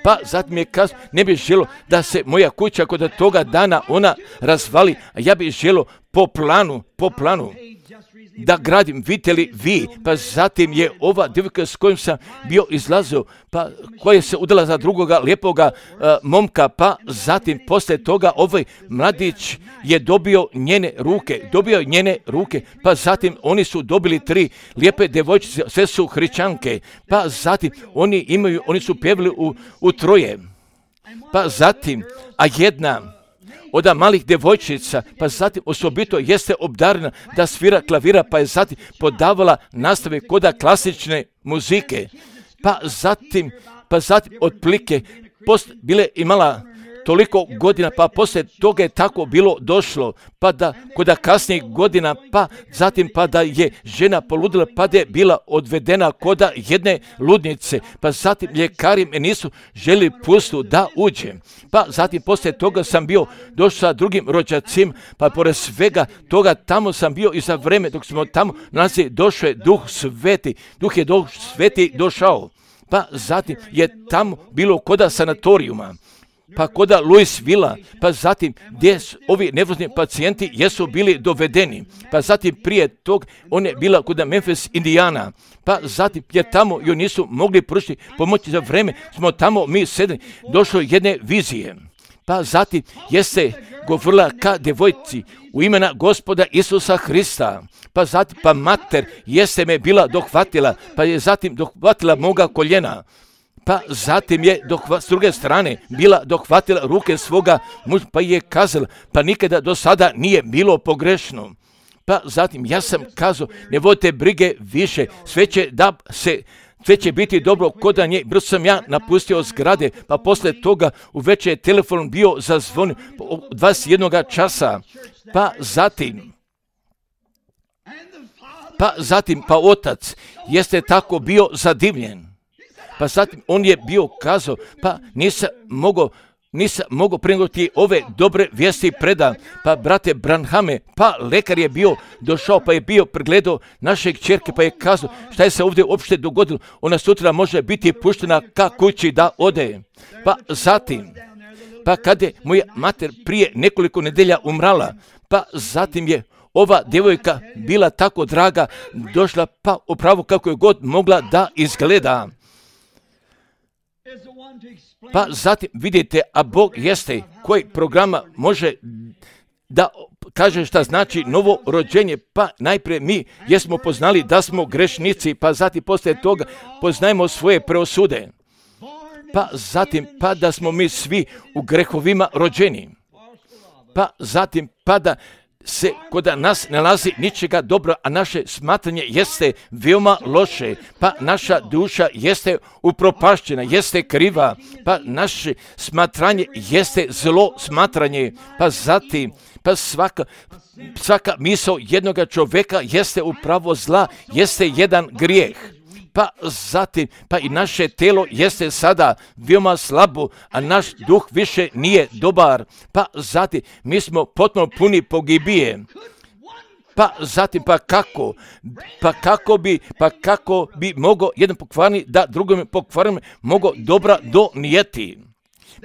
Pa zatim je kazao, ne bih želio da se moja kuća kod toga dana ona razvali, a ja bih želio po planu da gradim, vidite li vi, pa zatim je ova djevojka s kojom sam bio izlazio, pa koja se udala za drugoga lijepoga momka, pa zatim poslije toga ovaj mladić je dobio njene ruke, pa zatim oni su dobili 3 lijepe djevojčice, sve su hrišćanke, pa zatim oni su pjevali u troje, pa zatim, a jedna od malih devojčica, pa zatim osobito jeste obdarena da svira klavira, pa je zatim podavala nastave koda klasične muzike, pa zatim otplike bile imala toliko godina, pa poslije toga je tako bilo došlo, pa da koda kasnijih godina, pa zatim pa da je žena poludila, pa da je bila odvedena koda jedne ludnice, pa zatim ljekari me nisu želi pustiti da uđem, pa zatim poslije toga sam bio došao sa drugim rođacima, pa pored svega toga tamo sam bio i za vreme dok smo tamo nalazi, došao je Duh Sveti došao, pa zatim je tamo bilo koda sanatorijuma, pa koda Louisville, pa zatim gdje ovi nervozni pacijenti jesu bili dovedeni, pa zatim prije tog on je bila kod Memphis, Indiana, pa zatim jer tamo joj nisu mogli pružiti pomoći za vreme, smo tamo mi sedeli, došlo jedne vizije, pa zatim jeste govorila ka devojci u imena Gospoda Isusa Hrista, pa zatim pa mater jeste me bila dohvatila, pa je zatim dohvatila moga koljena, pa zatim je s druge strane bila dohvatila ruke svoga muža, pa je kazala, pa nikada do sada nije bilo pogrešno. Pa zatim ja sam kazao, ne vodite brige više, sve će biti dobro kod nje. Brzo sam ja napustio zgrade, pa poslije toga uveče je telefon bio zazvonio 21 časa, pa zatim pa zatim, pa otac jeste tako bio zadivljen. Pa zatim on je bio kazao, pa nisam mogao prenijeti ove dobre vijesti predam. Pa brate Branhame, pa lekar je bio došao, pa je bio pregledao naše kćerke, pa je kazao šta je se ovdje uopšte dogodilo. Ona sutra može biti puštena ka kući da ode. Pa zatim, pa kad je moja mater prije nekoliko nedelja umrala, pa zatim je ova djevojka bila tako draga, došla pa upravo kako je god mogla da izgleda. Pa zatim vidite, a Bog jeste koji programa može da kaže šta znači novo rođenje. Pa najprije mi jesmo poznali da smo grešnici, pa zatim poslije toga poznajemo svoje preosude. Pa zatim pa da smo mi svi u grehovima rođeni. Pa zatim pa da se kod nas nalazi ničega dobro, a naše smatranje jeste veoma loše, pa naša duša jeste upropašćena, jeste kriva, pa naše smatranje jeste zlo smatranje, pa zatim, pa svaka misao jednoga čovjeka jeste upravo zla, jeste jedan grijeh. Pa zatim, pa i naše telo jeste sada veoma slabo, a naš duh više nije dobar. Pa zatim, mi smo potpuno puni pogibije. Pa zatim, kako bi mogao jedan pokvarni da drugom pokvarni mogao dobra donijeti.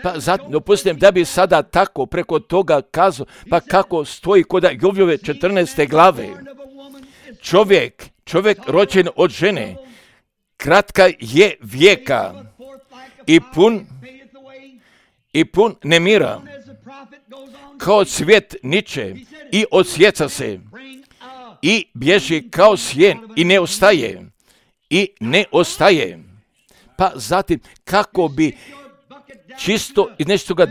Pa zatim, dopustim da bi sada tako preko toga kazao, pa kako stoji kod Jovljove 14. glave. Čovjek rođen od žene, kratka je vijeka i pun nemira, kao cvijet niče i odsjeca se i bježi kao sjen i ne ostaje. Pa zatim, kako bi čisto iz nečega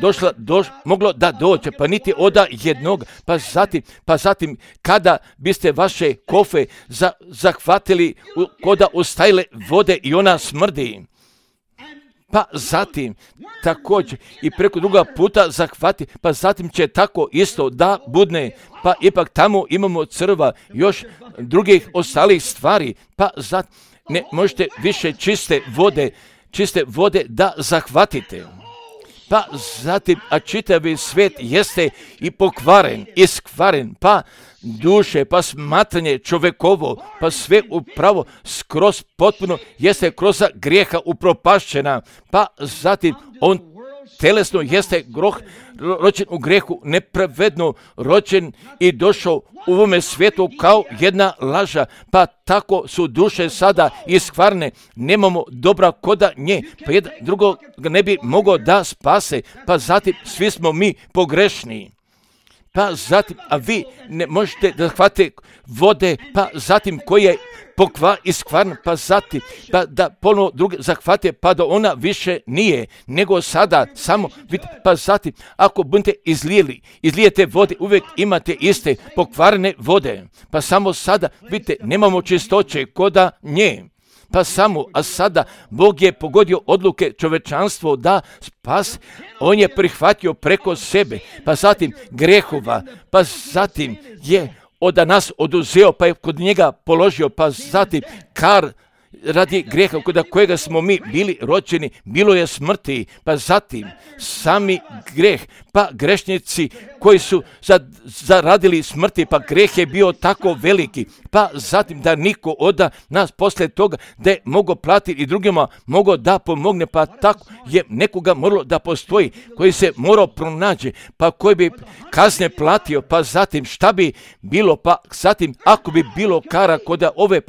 moglo da dođe, pa niti oda jednog, pa zatim kada biste vaše kofe zahvatili koda ostajile vode i ona smrdi, pa zatim također i preko druga puta zahvati, pa zatim će tako isto da budne, pa ipak tamo imamo crva, još drugih ostalih stvari, pa zatim ne možete više čiste vode da zahvatite. Pa zatim, a čitavi svijet jeste i pokvaren, iskvaren, pa duše, pa smatranje čovjekovo, pa sve upravo skroz potpuno jeste kroz grijeha upropašćena, pa zatim on telesno jeste rođen u grijehu, nepravedno rođen i došao u ovome svijetu kao jedna laža, pa tako su duše sada iskvarne, nemamo dobra koda nje, pa jedan drugog ne bi mogao da spase, pa zatim svi smo mi pogrešni. Pa zatim, a vi ne možete da hvatite vode, pa zatim koji je iskvarna, pa zatim da ponovno druge zahvate, pa da ona više nije, nego sada samo, pa zatim ako budete izlijete vode, uvijek imate iste pokvarene vode, pa samo sada, vidite, nemamo čistoće koda nje. Pa samo, a sada Bog je pogodio odluke čovečanstvo da spas, on je prihvatio preko sebe, pa zatim grehova, pa zatim je od nas oduzeo, pa je kod njega položio, pa zatim kar radi grijeha kod kojega smo mi bili rođeni, bilo je smrti, pa zatim sami greh, pa grešnici koji su zaradili smrti, pa greh je bio tako veliki, pa zatim da niko od nas poslije toga da je mogao platiti i drugima mogao da pomogne, pa tako je nekoga moralo da postoji koji se morao pronaći, pa koji bi kasnije platio, pa zatim šta bi bilo, pa zatim ako bi bilo kara kod ove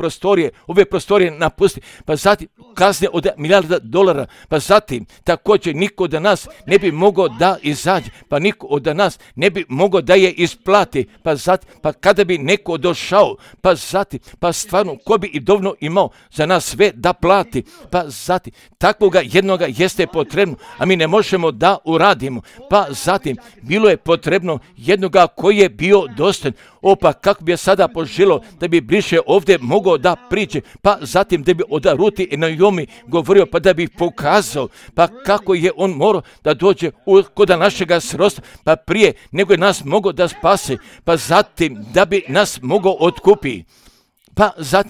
prostorije napusti, pa zatim kasnije od $1.000.000, pa zatim također niko od nas ne bi mogao da izađe, pa niko od nas ne bi mogao da je isplati, pa zatim, pa kada bi neko došao, pa zatim, pa stvarno ko bi i dovoljno imao za nas sve da plati, pa zatim takvoga jednoga jeste potrebno, a mi ne možemo da uradimo, pa zatim bilo je potrebno jednoga koji je bio dostojan. Pa kako bi je sada poželo da bi bliže ovdje mogao da priđe, pa zatim da bi od Ruti i Naomi govorio, pa da bi pokazao, pa kako je on morao da dođe kod našega srodstva, pa prije nego je nas mogao da spase, pa zatim da bi nas mogao otkupiti.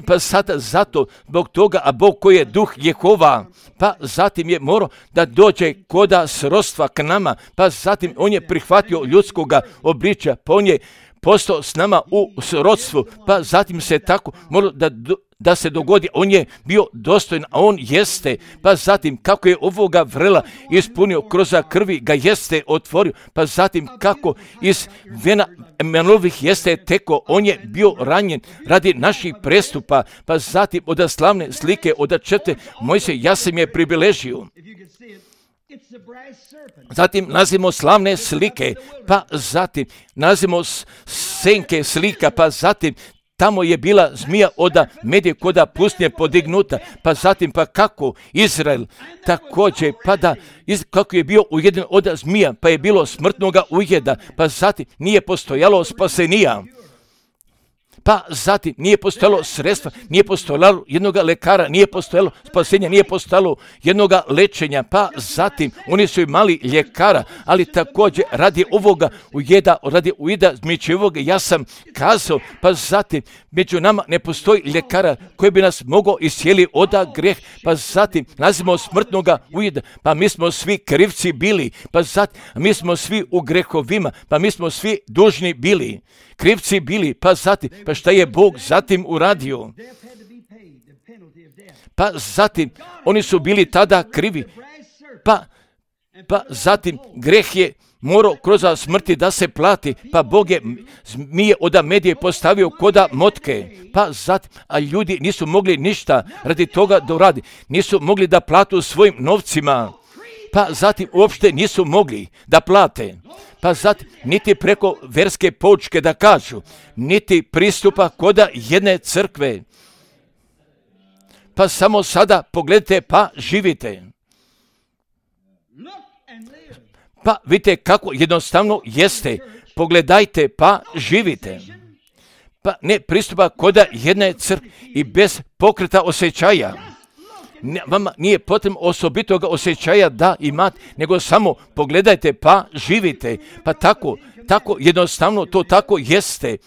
pa sada zato, zbog toga, a Bog koji je duh Jehova, pa zatim je morao da dođe koda srodstva k nama, pa zatim on je prihvatio ljudskoga obličja, pa on je postao s nama u srodstvu, pa zatim se tako moralo da se dogodi, on je bio dostojan, a on jeste, pa zatim kako je ovoga vrela ispunio kroz krvi ga jeste otvorio, pa zatim kako iz vena Emanuelovih jeste teko, on je bio ranjen radi naših prestupa, pa zatim od slavne slike, od čete Mojsije, ja sam je pribiležio. Zatim nalazimo slavne slike, pa zatim nalazimo senke slika, pa zatim tamo je bila zmija od medije koda pustinje podignuta, pa zatim pa kako Izrael također, pa da kako je bio ujeden od zmija, pa je bilo smrtnoga ujeda, pa zatim nije postojalo spasenija. Pa zatim nije postojalo sredstva, nije postojalo jednoga lekara, nije postojalo spasenja, nije postojalo jednoga lečenja, pa zatim oni su imali ljekara, ali također radi ovoga ujeda zmijčevog, ja sam kazao, pa zatim među nama ne postoji ljekara koji bi nas mogao iscijeliti od greh, pa zatim nazivamo smrtnoga ujeda, pa mi smo svi krivci bili, pa zatim mi smo svi u grehovima, pa mi smo svi dužni bili. Krivci bili, pa zatim, pa šta je Bog zatim uradio? Pa zatim, oni su bili tada krivi, pa zatim greh je morao kroz smrti da se plati, pa Bog je zmije od medije postavio koda motke, pa zatim, a ljudi nisu mogli ništa radi toga da uradi, nisu mogli da platu svojim novcima, pa zatim uopšte nisu mogli da plate, pa zatim niti preko verske poučke da kažu, niti pristupa koda jedne crkve. Pa samo sada pogledajte pa živite. Pa vidite kako jednostavno jeste, pogledajte pa živite. Pa ne pristupa koda jedne crkve i bez pokreta osjećaja. Vama nije potrebno osobitoga osjećaja da imate, nego samo pogledajte pa živite. Pa tako jednostavno to tako jeste.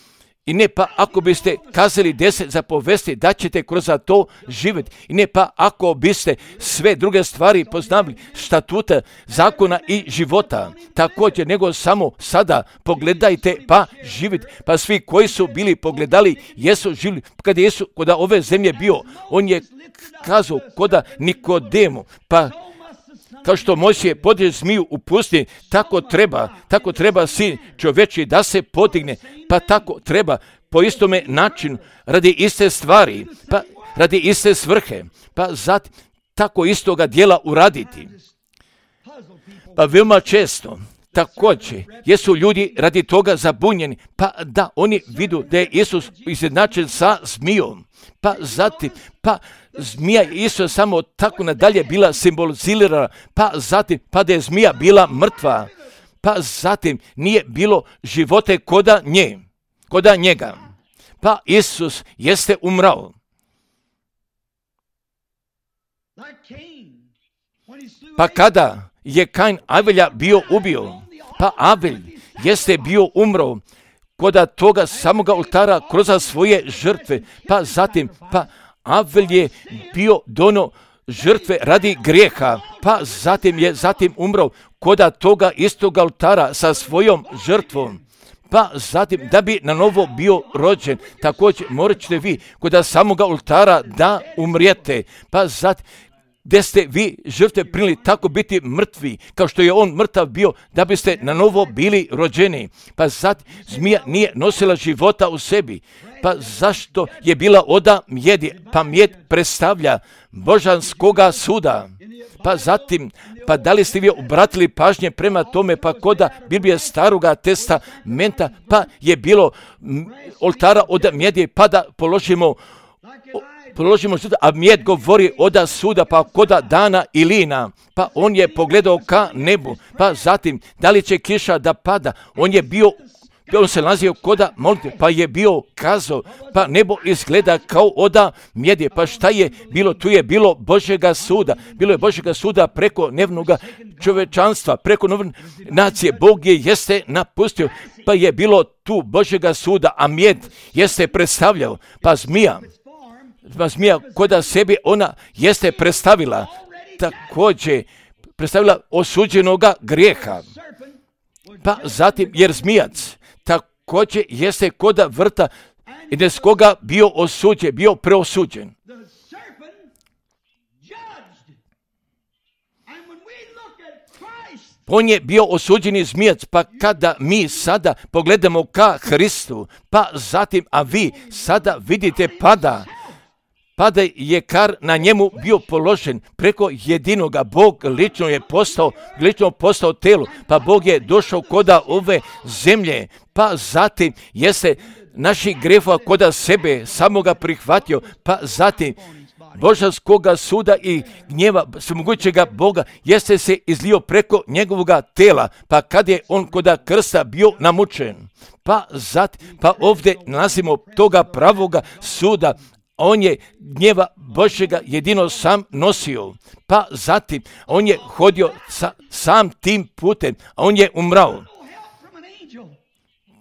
I ne pa ako biste kazali 10 zapovesti da ćete kroz to živjeti. I ne pa ako biste sve druge stvari poznali, statuta, zakona i života. Također nego samo sada pogledajte pa živjeti. Pa svi koji su bili pogledali jesu živjeli. Kada Jesu kod ove zemlje bio, on je kazao koda Nikodemu, pa kao što Mojsije podiže zmiju u pustinji, tako treba sin čovječji da se podigne, pa tako treba po istome načinu, radi iste stvari, pa radi iste svrhe, pa zatim tako istoga dijela uraditi. Pa veoma često također jesu ljudi radi toga zabunjeni, pa da oni vidu da je Isus izjednačen sa zmijom, pa zatim, pa zmija je isto samo tako nadalje bila simbolizirana, pa zatim, pa da je zmija bila mrtva, pa zatim nije bilo živote koda njega, pa Isus jeste umrao. Pa kada je Kain Avelja bio ubio, pa Avelj jeste bio umro koda toga samoga oltara kroz svoje žrtve, pa zatim, pa Avelj je bio dono žrtve radi grijeha, pa zatim je umro koda toga istoga oltara sa svojom žrtvom, pa zatim da bi na novo bio rođen, također morat ćete vi koda samoga oltara da umrijete, pa zatim gdje ste vi žrtve primili tako biti mrtvi, kao što je on mrtav bio, da biste na novo bili rođeni. Pa zatim zmija nije nosila života u sebi. Pa zašto je bila oda mjedi? Pa mjed predstavlja božanskoga suda. Pa zatim, pa da li ste vi obratili pažnje prema tome, pa koda Biblije staroga testamenta, pa je bilo oltara od mjedi, pa da položimo suda, a mjed govori oda suda, pa koda dana i lina, pa on je pogledao ka nebu, pa zatim da li će kiša da pada, on je bio on se nalazio koda molitve, pa je bio kazao, pa nebo izgleda kao oda mjede, pa šta je bilo? Tu je bilo Božjega suda, bilo je Božjega suda preko nevnoga čovečanstva, preko nacije. Bog je jeste napustio, pa je bilo tu Božjega suda, a mjed jeste predstavljao, pa zmija koda sebi ona jeste predstavila, također predstavila osuđenoga grijeha. Pa zatim, jer zmijac također jeste koda vrta i bez koga bio osuđen, bio preosuđen. On je bio osuđeni zmijac, pa kada mi sada pogledamo ka Hristu, pa zatim, a vi sada vidite pada je kar na njemu bio položen preko jedinoga. Bog lično postao telo, pa Bog je došao koda ove zemlje, pa zatim jeste naših grehova koda sebe samoga prihvatio, pa zatim božanskoga suda i gnjeva svemogućega Boga jeste se izlio preko njegovoga tela, pa kad je on koda krsta bio namučen, pa ovdje nalazimo toga pravoga suda. On je gnjeva Božjega jedino sam nosio, pa zatim on je hodio sam tim putem, a on je umrao.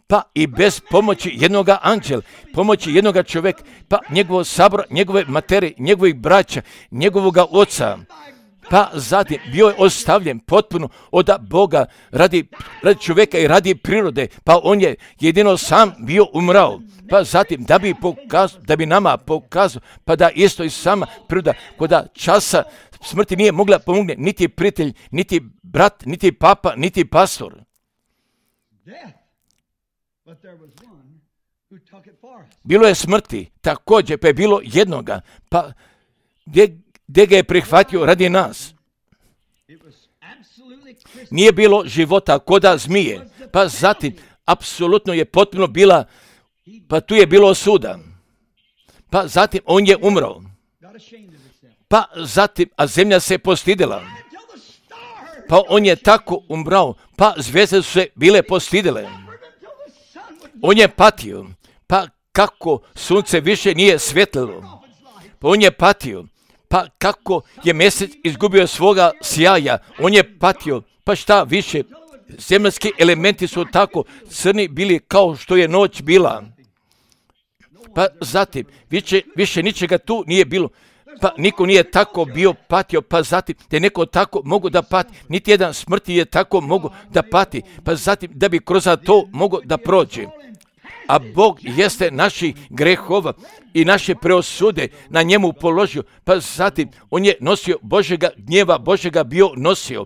Pa i bez pomoći jednoga anđela, pomoći jednoga čovjeka, pa njegovog sabora, njegove materije, njegovih braća, njegovoga oca, pa zatim bio je ostavljen potpuno od Boga radi čovjeka i radi prirode, pa on je jedino sam bio umrao. Pa zatim da bi nama pokazao, pa da isto i sama priroda koda časa smrti nije mogla pomogne niti prijatelj, niti brat, niti papa, niti pastor. Bilo je smrti, također pa je bilo jednoga, pa gdje ga je prihvatio radi nas. Nije bilo života koda zmije, pa zatim apsolutno je potpuno bila, pa tu je bilo suda. Pa zatim on je umro. Pa zatim, a zemlja se postidila. Pa on je tako umrao, pa zvijezde su se bile postidile. On je patio, pa kako sunce više nije svjetlilo. Pa on je patio, pa kako je mjesec izgubio svoga sjaja. On je patio, pa šta više, zemaljski elementi su tako crni bili kao što je noć bila. Pa zatim, više ničega tu nije bilo. Pa niko nije tako bio patio, pa zatim da je neko tako mogu da pati. Niti jedan smrti je tako mogu da pati, pa zatim da bi kroz to mogo da prođe. A Bog jeste naših grehova i naše preosude na njemu položio, pa zatim on je nosio Božjega gnjeva, Božjega bio nosio,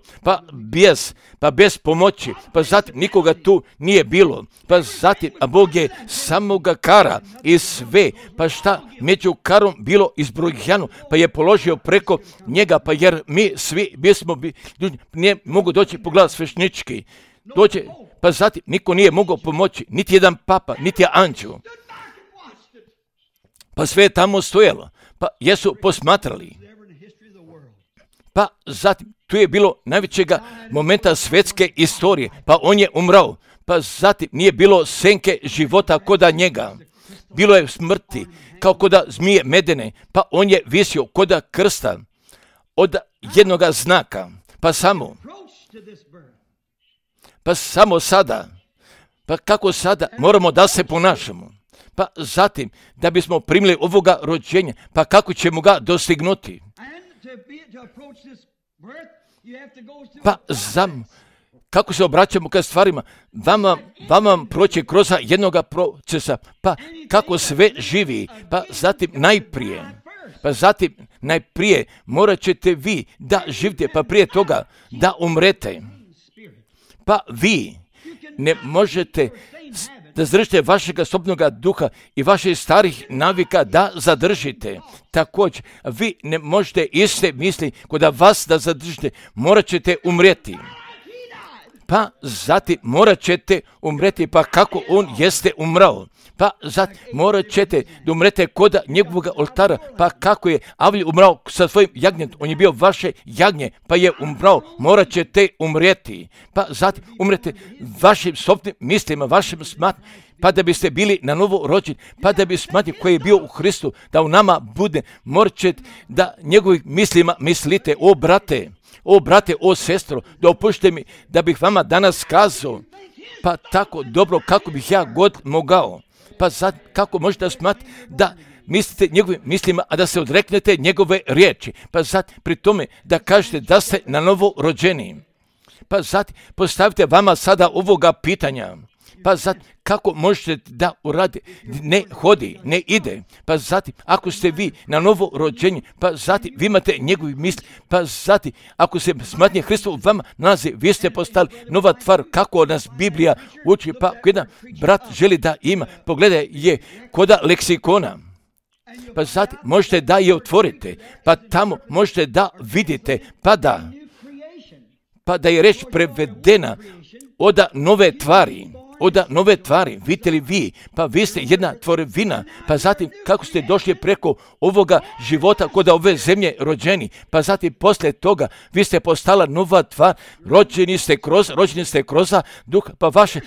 pa bez pomoći, pa zatim nikoga tu nije bilo, pa zatim, a Bog je samoga kara i sve, pa šta među karom bilo izbrojano, pa je položio preko njega, pa jer mi svi bismo ljudi, ne mogu doći pogledat svešnički, dođe. Pa zatim niko nije mogao pomoći, niti jedan papa, niti anđel. Pa sve je tamo stojalo, pa jesu posmatrali. Pa zatim tu je bilo najvećega momenta svjetske istorije, pa on je umrao. Pa zatim nije bilo senke života koda njega. Bilo je smrti, kao koda zmije medene, pa on je visio koda krsta od jednoga znaka, pa samo sada, pa kako sada moramo da se ponašamo, pa zatim da bismo primili ovoga rođenja, pa kako ćemo ga dostignuti, pa kako se obraćamo ka stvarima, vama proći kroz jednoga procesa, pa kako sve živi, pa zatim najprije morat ćete vi da živite, pa prije toga da umrete. Pa vi ne možete da zadržite vašega sobnoga duha i vaših starih navika da zadržite. Također, vi ne možete iste misli kod vas da zadržite, morat ćete umrijeti. pa zatim morat ćete umreti, pa kako on jeste umrao. Pa zatim morat ćete da umrete koda njegovog oltara, pa kako je Avlij umrao sa svojim jagnjetom, on je bio vaše jagnje, pa je umrao, morat ćete umrijeti. Pa zatim umrete vašim sobstvenim mislima, vašim smatnjama, pa da biste bili na novo rođeni, pa da bi smatnje koji je bio u Hristu, da u nama bude, morat ćete da njegovim mislima mislite. O brate, o sestro, dopušte mi da bih vama danas kazao, pa tako dobro kako bih ja god mogao. Pa sad kako možete smatrati da mislite njegovim mislima, a da se odreknete njegove riječi. Pa sad pri tome da kažete da ste na novo rođeni. Pa sad postavite vama sada ovoga pitanja. Pa zatim, kako možete da uradi, ne hodi, ne ide. Pa zatim, ako ste vi na novo rođenje, pa zatim, vi imate njegovi misli, pa zatim, ako se smatnje Hristo u vama nalazi, vi ste postali nova tvar, kako nas Biblija uči, pa ako jedan brat želi da ima, pogledaj je koda leksikona. Pa zatim, možete da je otvorite, pa tamo možete da vidite, pa da je reč prevedena od nove tvari, vidite li vi, pa vi ste jedna tvorevina, pa zatim kako ste došli preko ovoga života kod ove zemlje rođeni, pa zatim poslije toga vi ste postala nova tvar, rođeni ste kroz duh, pa vaše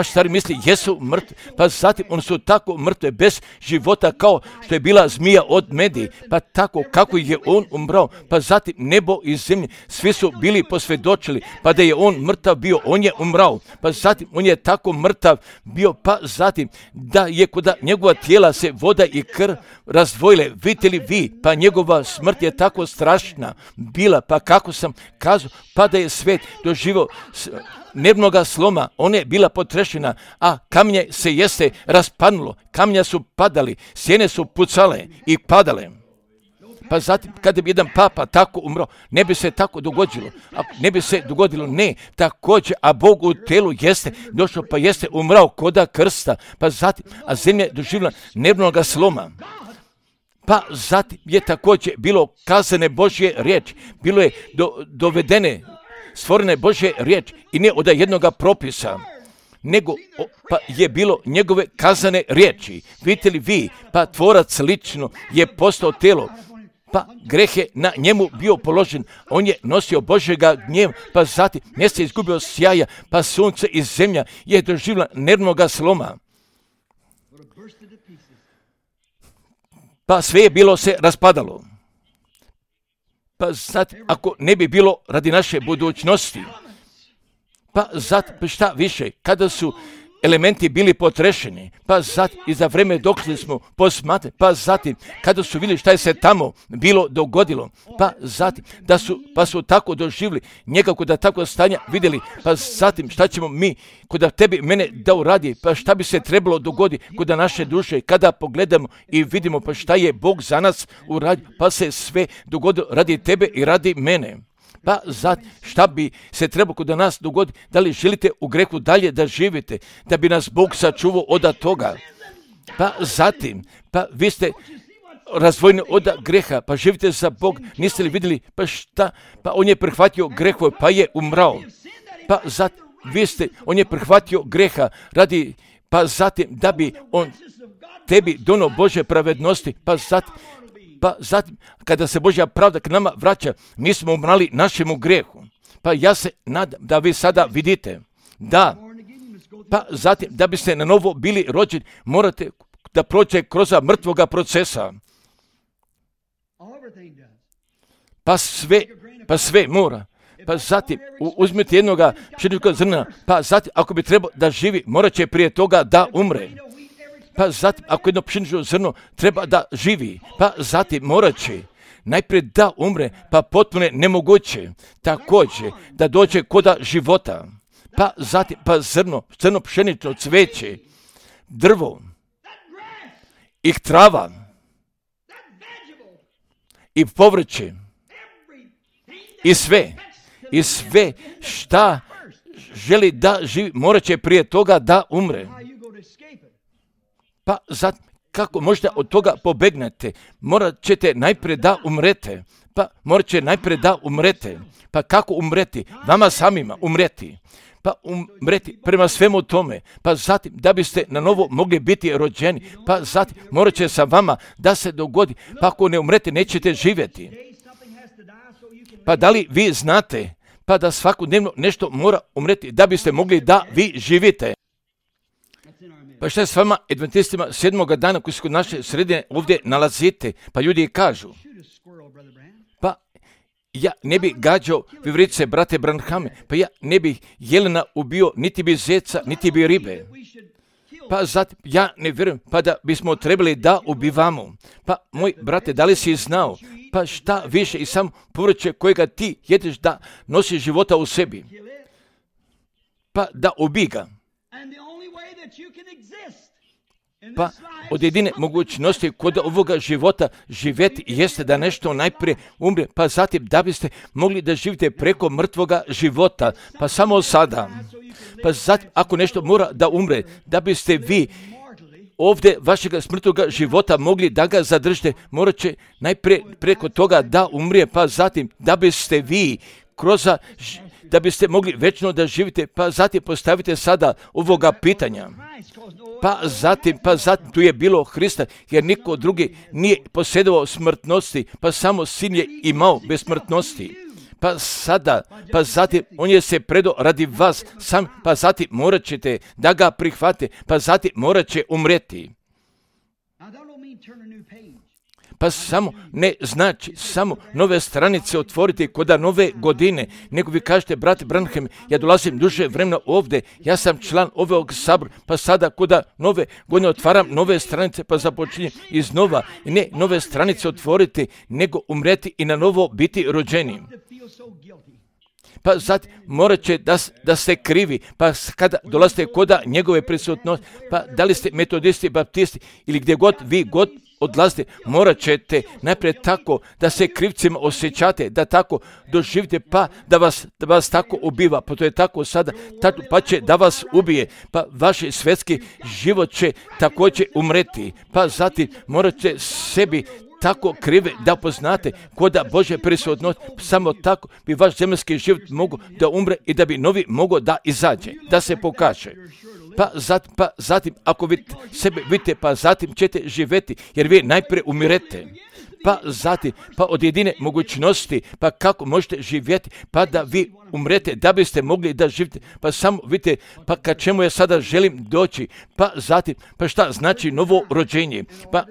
stvari misli jesu mrtve, pa zatim oni su tako mrtve bez života kao što je bila zmija od medi, pa tako kako je on umrao, pa zatim nebo i zemlje, svi su bili posvjedočili, pa da je on mrtav bio, on je umrao, pa zatim on je tako mrtav bio, pa zatim da je kod njegova tijela se voda i krv razdvojile, vidite li vi, pa njegova smrt je tako strašna bila, pa kako sam kazao, pa da je svet doživio nervnoga sloma, ona je bila potrešena, a kamenje se jeste raspadnulo, kamenja su padali, sjene su pucale i padale. Pa zatim, kada bi jedan papa tako umro, ne bi se tako dogodilo, ne, također, a Bog u telu jeste došao, pa jeste umrao koda krsta, pa zatim, a zemlja je doživjela nervnoga sloma. Pa zatim je također bilo kazane Božje riječi, bilo je dovedene, stvorene Božje riječi i ne od jednoga propisa, nego pa je bilo njegove kazane riječi. Vidite li vi, pa tvorac lično je postao telo, pa greh je na njemu bio položen, on je nosio Božjega gnjeva, pa zatim mjesto je izgubio sjaja, pa sunce i zemlja je doživjela nervnoga sloma. Pa sve je bilo se raspadalo. Pa zatim, ako ne bi bilo radi naše budućnosti, pa zatim, šta više, kada su elementi bili potrešeni, pa zatim i za vreme dok smo posmatrali, pa zatim kada su vidjeli šta je se tamo bilo dogodilo, pa zatim pa su tako doživjeli njega kod tako stanja vidjeli, pa zatim šta ćemo mi kod tebi mene da uradi, pa šta bi se trebalo dogoditi kod naše duše kada pogledamo i vidimo pa šta je Bog za nas uradio, pa se sve dogodilo radi tebe i radi mene. Pa zatim, šta bi se trebalo kod nas dogoditi? Da li želite u grehu dalje da živite, da bi nas Bog sačuvao od toga? Pa zatim, pa vi ste razdvojeni od greha, pa živite za Bog, niste li vidjeli, pa šta? Pa on je prihvatio grehove, pa je umrao. Pa zatim, on je prihvatio greha radi, pa zatim, da bi on tebi donio Božje pravednosti, pa zatim, kada se Božja pravda k nama vraća, mi smo umrali našemu grehu. Pa ja se nadam da vi sada vidite, da, pa zatim, da biste na novo bili rođeni, morate da prođe kroz mrtvoga procesa. Pa sve mora. Pa zatim, uzmite jednoga pšeničnog zrna, pa zatim, ako bi trebao da živi, morat će prije toga da umre. Pa zatim, ako jedno pšenično zrno treba da živi, pa zatim morat će najprije da umre, pa potpuno nemoguće također da dođe koda života. Pa zatim, pa crno pšenično cveće, drvo i trava i povrće i sve šta želi da živi, morat će prije toga da umre. Pa zatim, kako možete od toga pobegnete? Morat ćete najprije da umrete. pa morat će najprije da umrete. Pa kako umreti? Vama samima umreti. Pa umreti prema svemu tome, pa zatim da biste na novo mogli biti rođeni, pa zatim morat će sa vama da se dogodi, pa ako ne umrete nećete živjeti. Pa da li vi znate, pa da svakodnevno nešto mora umreti da biste mogli da vi živite? Pa šta je s vama adventistima 7. dana koji su kod naše sredine ovdje nalazite? Pa ljudi kažu, pa ja ne bi gađao vivrice, brate Branhame, pa ja ne bi jelena ubio, niti bi zeca, niti bi ribe. Pa zatim, ja ne vjerujem, pa da bismo trebali da ubivamo. Pa moj brate, da li si znao, pa šta više i sam povrće kojega ti jedeš da nosi života u sebi, pa da ubij ga. Pa od jedine mogućnosti kod ovoga života živjeti jeste da nešto najprije umre, pa zatim da biste mogli da živite preko mrtvoga života, pa samo sada. Pa zatim ako nešto mora da umre, da biste vi ovdje vašega smrtvoga života mogli da ga zadržite, morat će najprije preko toga da umrije, pa zatim da biste vi da biste mogli večno da živite, pa zatim postavite sada ovoga pitanja. Pa zatim tu je bilo Hrista, jer niko drugi nije posjedovao smrtnosti, pa samo Sin je imao bez smrtnosti. Pa zatim on je se predao radi vas sam, pa zatim morat ćete da ga prihvate, pa zatim morat će umreti. Pa samo ne znači samo nove stranice otvoriti koda nove godine, nego vi kažete, brate Branham, ja dolazim duže vremena ovdje, ja sam član ovog sabora, pa sada koda nove godine otvaram nove stranice, pa započinjem iznova, i ne nove stranice otvoriti, nego umreti i na novo biti rođeni. Pa zatim morat će da ste krivi, pa kada dolazite koda njegove prisutnosti, pa da li ste metodisti, baptisti ili gdje god vi odlazite, morat ćete najprije tako da se krivcima osjećate, da tako doživite, pa da vas tako ubiva, pa to je tako sada, pa će da vas ubije, pa vaš svjetski život će također umreti, pa zatim morat će sebi tako krive da poznate koda Božje prisutnosti, samo tako bi vaš zemaljski život mogao da umre i da bi novi mogao da izađe, da se pokaže. Pa zatim, ako vi sebe vidite, pa zatim ćete živjeti, jer vi najprije umirete. Pa zatim, pa od jedine mogućnosti, pa kako možete živjeti, pa da vi umrete, da biste mogli da živite. Pa samo vidite, pa ka čemu ja sada želim doći, pa zatim, pa šta znači novo rođenje? Pa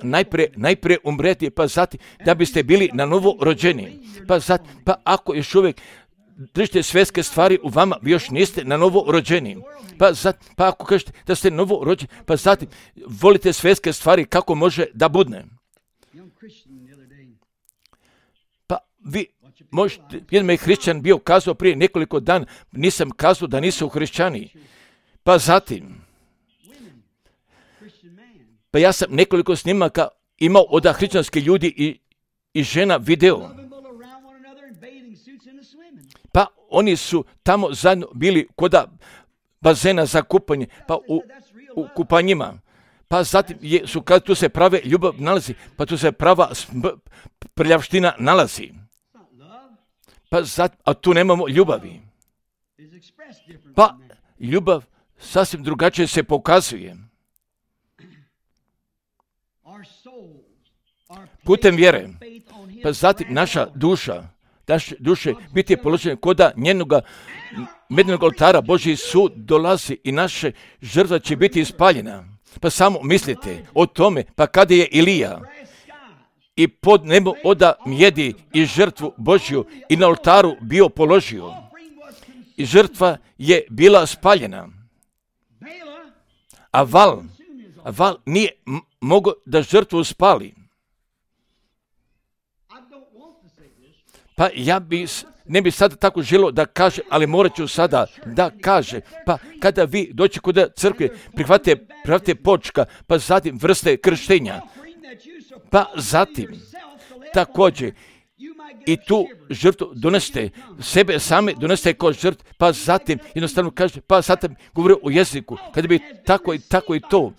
najprije umreti, pa zatim, da biste bili na novo rođeni. Pa zatim, pa ako još uvijek držite svjetske stvari u vama, vi još niste na novo rođeni. Pa ako kažete da ste novo rođeni, pa zatim volite svjetske stvari, kako može da budne? Pa vi možete, jedan me hrišćan bio kazao prije nekoliko dana, nisam kazao da nisu hrišćani. Pa zatim, pa ja sam nekoliko snimaka imao od hrišćanskih ljudi i žena video. Pa oni su tamo zajedno bili koda bazena za kupanje, pa u kupanjima. Pa zatim kad tu se prave ljubav nalazi, pa tu se prava prljavština nalazi. Pa zatim, a tu nemamo ljubavi. Pa ljubav sasvim drugačije se pokazuje. Putem vjere, pa zatim naše duše biti je položene koda njenoga mednog oltara, Božji sud dolazi i naše žrtva će biti ispaljena. Pa samo mislite o tome, pa kada je Ilija i pod nebo oda mjedi i žrtvu Božju i na oltaru bio položio i žrtva je bila spaljena. A val nije mogao da žrtvu spali. Pa ja ne bi sada tako želio da kaže, ali morat ću sada da kaže. Pa kada vi doći kod crkve, prihvatite počka, pa zatim vrste krštenja. Pa zatim također i tu žrtvu donesete, sebe same donesete kao žrtvu, pa zatim jednostavno kaže, pa zatim govori o jeziku, kada bi tako i to,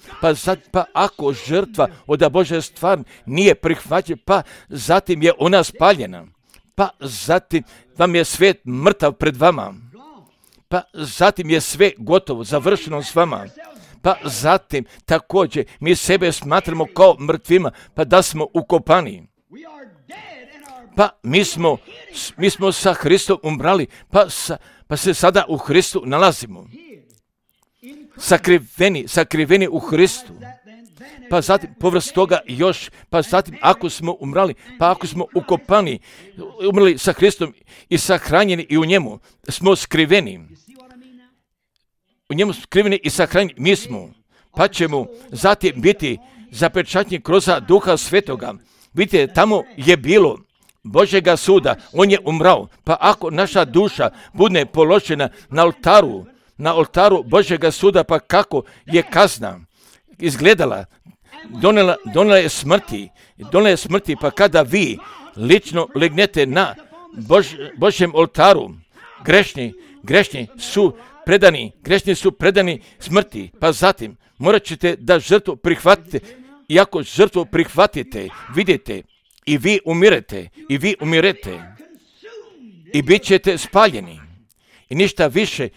pa ako žrtva od Božje stvar nije prihvaćena, pa zatim je ona spaljena. pa zatim vam je svijet mrtav pred vama, pa zatim je sve gotovo, završeno s vama, pa zatim također mi sebe smatramo kao mrtvima, pa da smo ukopani. Pa mi smo sa Hristom umrali, pa se sada u Hristu nalazimo. Sakriveni u Hristu. Pa zatim povrst toga još, pa zatim ako smo umrali, pa ako smo ukopani, umrli sa Hristom i sahranjeni i u njemu, smo skriveni. U njemu skriveni i sahranjeni mi smo, pa ćemo zatim biti zapečaćeni kroz Duha Svetoga. Vidite, tamo je bilo Božjega suda, on je umrao, pa ako naša duša bude položena na oltaru Božjega suda, pa kako je kazna izgledala, donela je smrti, pa kada vi lično legnete na Božjem oltaru, grešni su predani smrti, pa zatim morat ćete da žrtvu prihvatite, i ako žrtvu prihvatite, vidite, i vi umirete, i bit ćete spaljeni. I ništa više,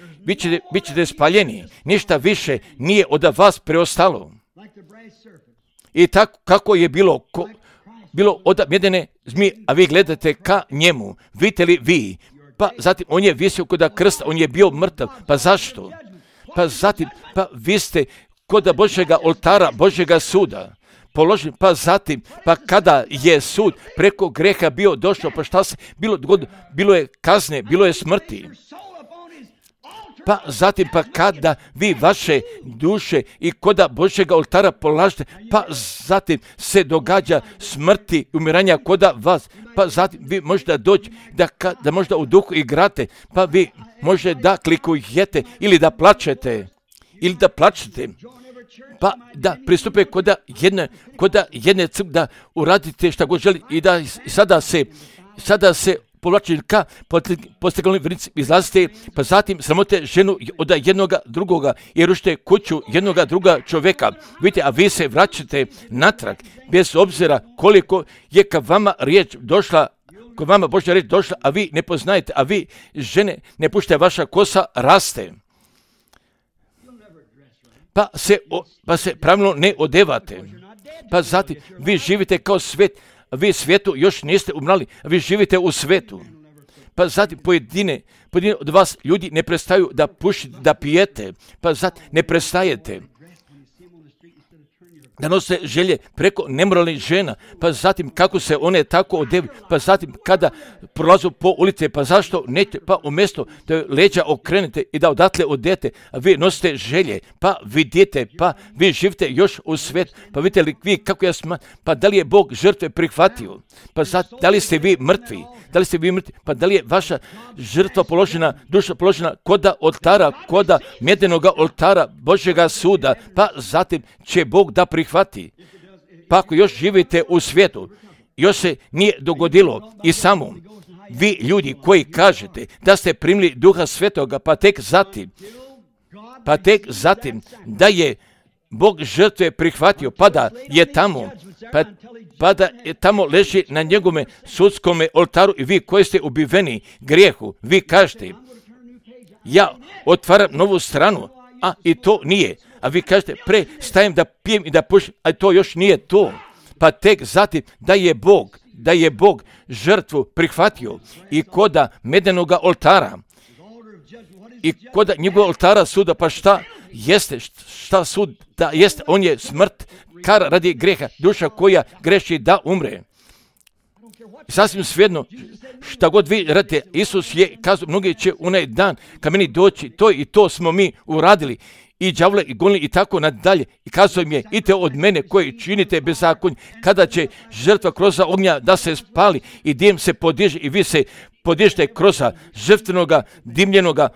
bit ćete spaljeni, ništa više nije od vas preostalo. I tako kako je bilo od medene zmije, a vi gledate ka njemu, vidite li vi? Pa zatim on je visio kod krsta, on je bio mrtav, pa zašto? Pa zatim, pa vi ste kod Božjega oltara, Božjega suda položen, pa zatim, pa kada je sud preko greha bio došao, pa šta se bilo je kazne, bilo je smrti. Pa zatim, pa kada vi vaše duše i koda Božjega oltara polažete, pa zatim se događa smrti i umiranja koda vas, pa zatim vi možete doći da možda u duhu igrate, pa vi možete da klikujete ili da plačete, pa da pristupe koda jedne crkve, da uradite šta god želi i da sada se povlačili ka posteglnoj vrnici, izlazite, pa zatim sramote ženu od jednoga drugoga i rušite kuću jednoga druga čovjeka. Vidite, a vi se vraćate natrag, bez obzira koliko je ka vama riječ došla, kod vama Božja riječ došla, a vi ne poznajete, a vi žene ne puštate, vaša kosa raste. Pa se pravilno ne odevate. Pa zatim vi živite kao svet, a vi svijetu još niste umrali, a vi živite u svetu. Pa zatim pojedine od vas ljudi ne prestaju da pušite, da pijete, pa zatim ne prestajete da nose želje preko nemoralnih žena, pa zatim kako se one tako odevi, pa zatim kada prolazu po ulice, pa zašto nećete, pa umjesto da leđa okrenete i da odatle odete, a vi nosite želje, pa vidite, pa vi živite još u svijetu, pa vidite li vi kako ja smatram, pa da li je Bog žrtve prihvatio, pa zatim da li ste vi mrtvi, pa da li je vaša žrtva položena, duša položena koda oltara, koda medenoga oltara Božjega suda, pa zatim će Bog da prihvati. Pa ako još živite u svijetu, još se nije dogodilo i samo vi ljudi koji kažete da ste primili Duha Svetoga, pa tek zatim da je Bog žrtve prihvatio, pa da je tamo leži na njegove sudskome oltaru i vi koji ste ubiveni grijehu, vi kažete, ja otvaram novu stranu, a i to nije. A vi kažete, stajem da pijem i da pušim, a to još nije to. Pa tek zatim da je Bog žrtvu prihvatio i koda medenoga oltara i koda njegovog oltara suda, pa šta sud da jeste, on je smrt, kara radi greha, duša koja greši da umre. Sasvim svejedno, šta god vi radite, Isus je kazao, mnogi će onaj dan ka meni doći, to i to smo mi uradili, i đavle i gonili i tako nadalje. I kazao im je, idite od mene koji činite bezakonje, kada će žrtva kroz ognja da se spali i dim se podiže i vi se podižete kroz žrtvenoga, dimljenoga,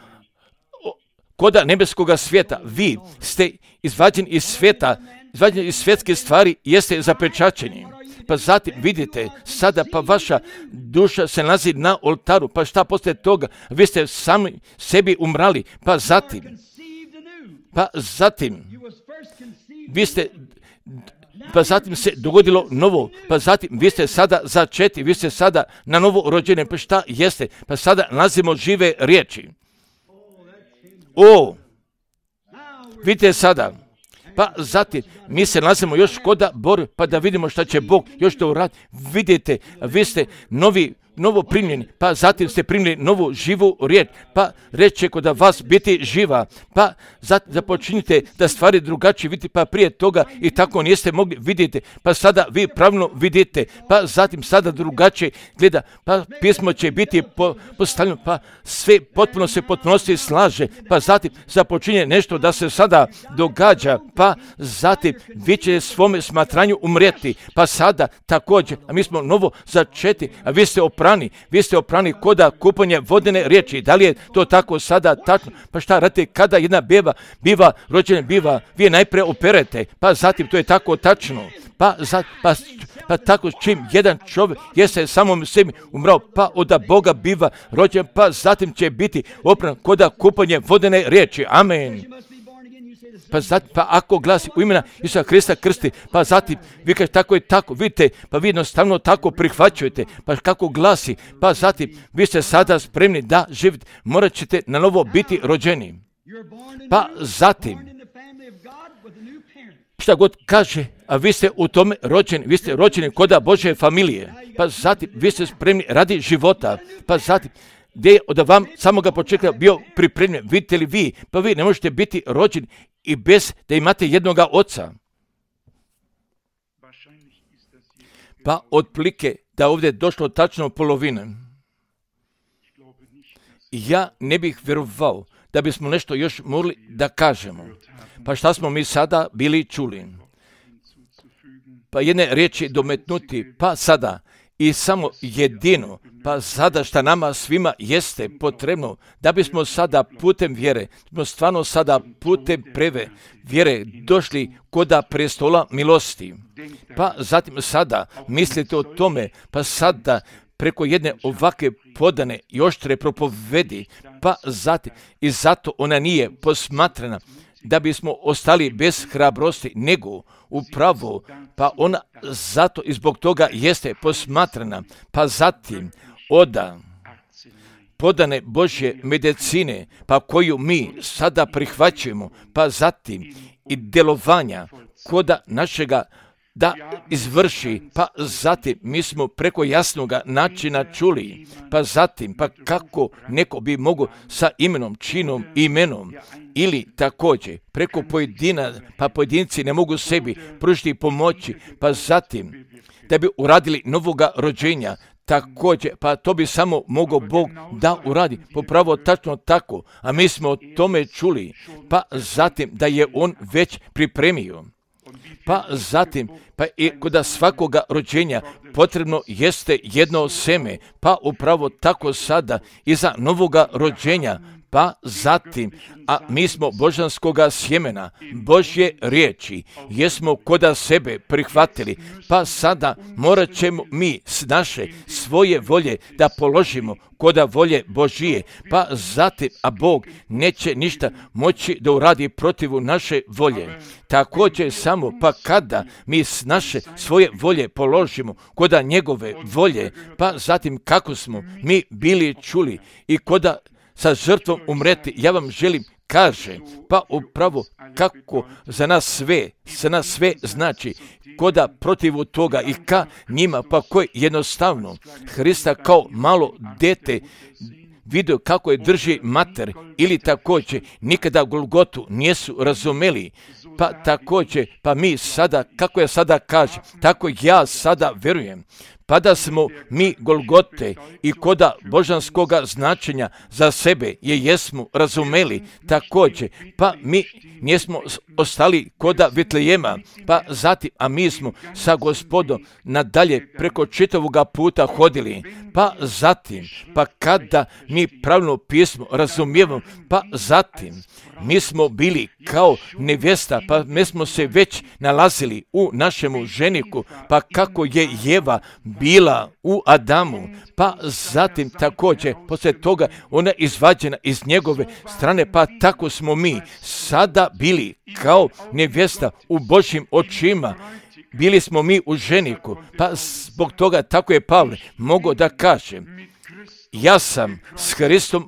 koda nebeskoga svijeta. Vi ste izvađeni iz svijeta, izvađeni iz svjetske stvari i jeste zapečaćeni. Pa zatim vidite, sada pa vaša duša se nalazi na oltaru, pa šta poslije toga? Vi ste sami sebi umrali, pa zatim vi ste pa zatim se dogodilo novo, pa zatim vi ste sada začeti, vi ste sada na novo rođene, pa šta jeste? Pa sada nalazimo žive riječi. Vidite sada, pa zatim mi se nalazimo još koda borbe, pa da vidimo šta će Bog još to uraditi. Vidite, vi ste novo primljeni, pa zatim ste primljeni novu živu riječ, pa reče kod vas biti živa, pa započinite da stvari drugačije vidite, pa prije toga i tako niste mogli vidjeti, pa sada vi pravilno vidite, pa zatim sada drugačije gleda, pa pismo će biti postavljeno, pa sve potpuno se potpunosti slaže, pa zatim započinje nešto da se sada događa, pa zatim vi će svome smatranju umrijeti, pa sada također, a mi smo novo začeti, a vi ste oprani koda kupanje vodene riječi. Da li je to tako sada tačno? Pa šta radite kada jedna beba biva rođena, vi je najprije operete, pa zatim to je tako tačno. Pa tako čim jedan čovjek jeste samom sebi umrao, pa od Boga biva rođen, pa zatim će biti opran koda kupanje vodene riječi. Amen. Pa ako glasi u imena Isusa Krista krsti, pa zatim vi kažete tako i tako, vidite, pa vi jednostavno tako prihvaćujete, pa kako glasi, pa zatim vi ste sada spremni da živite, morat ćete na novo biti rođeni. Pa zatim, šta god kaže, a vi ste u tome rođeni, vi ste rođeni koda Božje familije, pa zatim vi ste spremni radi života, pa zatim gdje je od vam samoga početka bio pripremljen, vidite li vi, pa vi ne možete biti rođeni i bez da imate jednoga oca. Pa otprilike da ovdje je došlo tačno polovine. Ja ne bih vjerovao da bismo nešto još mogli da kažemo. Pa šta smo mi sada bili čuli? Pa jedne riječi dometnuti, pa sada i samo jedino, pa sada šta nama svima jeste potrebno, da bismo sada putem vjere, smo stvarno sada putem preve vjere došli koda prestola milosti. Pa zatim sada mislite o tome, pa sada preko jedne ovakve podane i oštre propovedi, pa zatim i zato ona nije posmatrana da bismo ostali bez hrabrosti, nego upravo, pa ona zato i zbog toga jeste posmatrana, pa zatim oda podane Božje medicine, pa koju mi sada prihvaćujemo, pa zatim i djelovanja koda našega da izvrši, pa zatim mi smo preko jasnoga načina čuli, pa zatim, pa kako neko bi mogao sa imenom, činom i imenom, ili također preko pojedina, pa pojedinci ne mogu sebi pružiti pomoći, pa zatim da bi uradili novoga rođenja, također, pa to bi samo mogao Bog da uradi, popravo tačno tako, a mi smo o tome čuli, pa zatim da je On već pripremio. Pa zatim, pa i kod svakoga rođenja potrebno jeste jedno seme, pa upravo tako sada i za novoga rođenja, pa zatim, a mi smo božanskoga sjemena, Božje riječi, jesmo koda sebe prihvatili, pa sada morat ćemo mi s naše svoje volje da položimo koda volje Božije, pa zatim, a Bog neće ništa moći da uradi protivu naše volje. Također samo, pa kada mi s naše svoje volje položimo koda njegove volje, pa zatim kako smo mi bili čuli i koda sa žrtvom umreti, ja vam želim kaže, pa upravo kako za nas sve znači, koda protivu toga i ka njima, pa koji jednostavno Hrista kao malo dete vidio kako je drži mater, ili također nikada Golgotu nisu razumeli, pa također, pa mi sada, kako ja sada kažem, tako ja sada vjerujem, pa da smo mi Golgote i koda božanskoga značenja za sebe jesmo razumeli također, pa mi nismo ostali koda Vitlejema, pa zatim, a mi smo sa Gospodom nadalje preko čitavoga puta hodili, pa zatim, pa kada mi pravilno pismo razumijemo, pa zatim, mi smo bili kao nevjesta, pa mi smo se već nalazili u našemu ženiku, pa kako je Jeva bila u Adamu, pa zatim također, poslije toga ona izvađena iz njegove strane, pa tako smo mi sada bili kao nevjesta u Božjim očima, bili smo mi u ženiku, pa zbog toga tako je Pavle mogao da kaže, ja sam s Hristom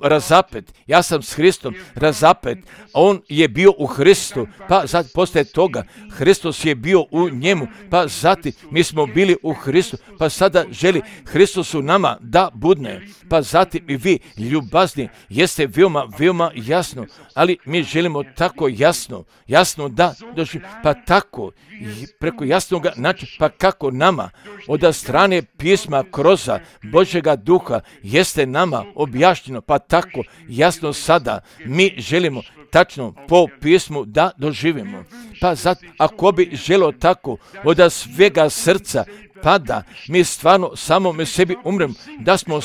razapet, a on je bio u Hristu, pa poslije toga Hristos je bio u njemu, pa zatim mi smo bili u Hristu, pa sada želi Hristos u nama da budne, pa zatim i vi ljubazni jeste veoma jasno, ali mi želimo tako jasno da dođe, pa tako preko jasnoga načina, pa kako nama od strane pisma kroz Božjega duha jeste nama objašnjeno, pa tako jasno sada mi želimo tačno po pismu da doživimo. Pa zato, ako bi želo tako od svega srca, pa da mi stvarno samome sebi umremo, da smo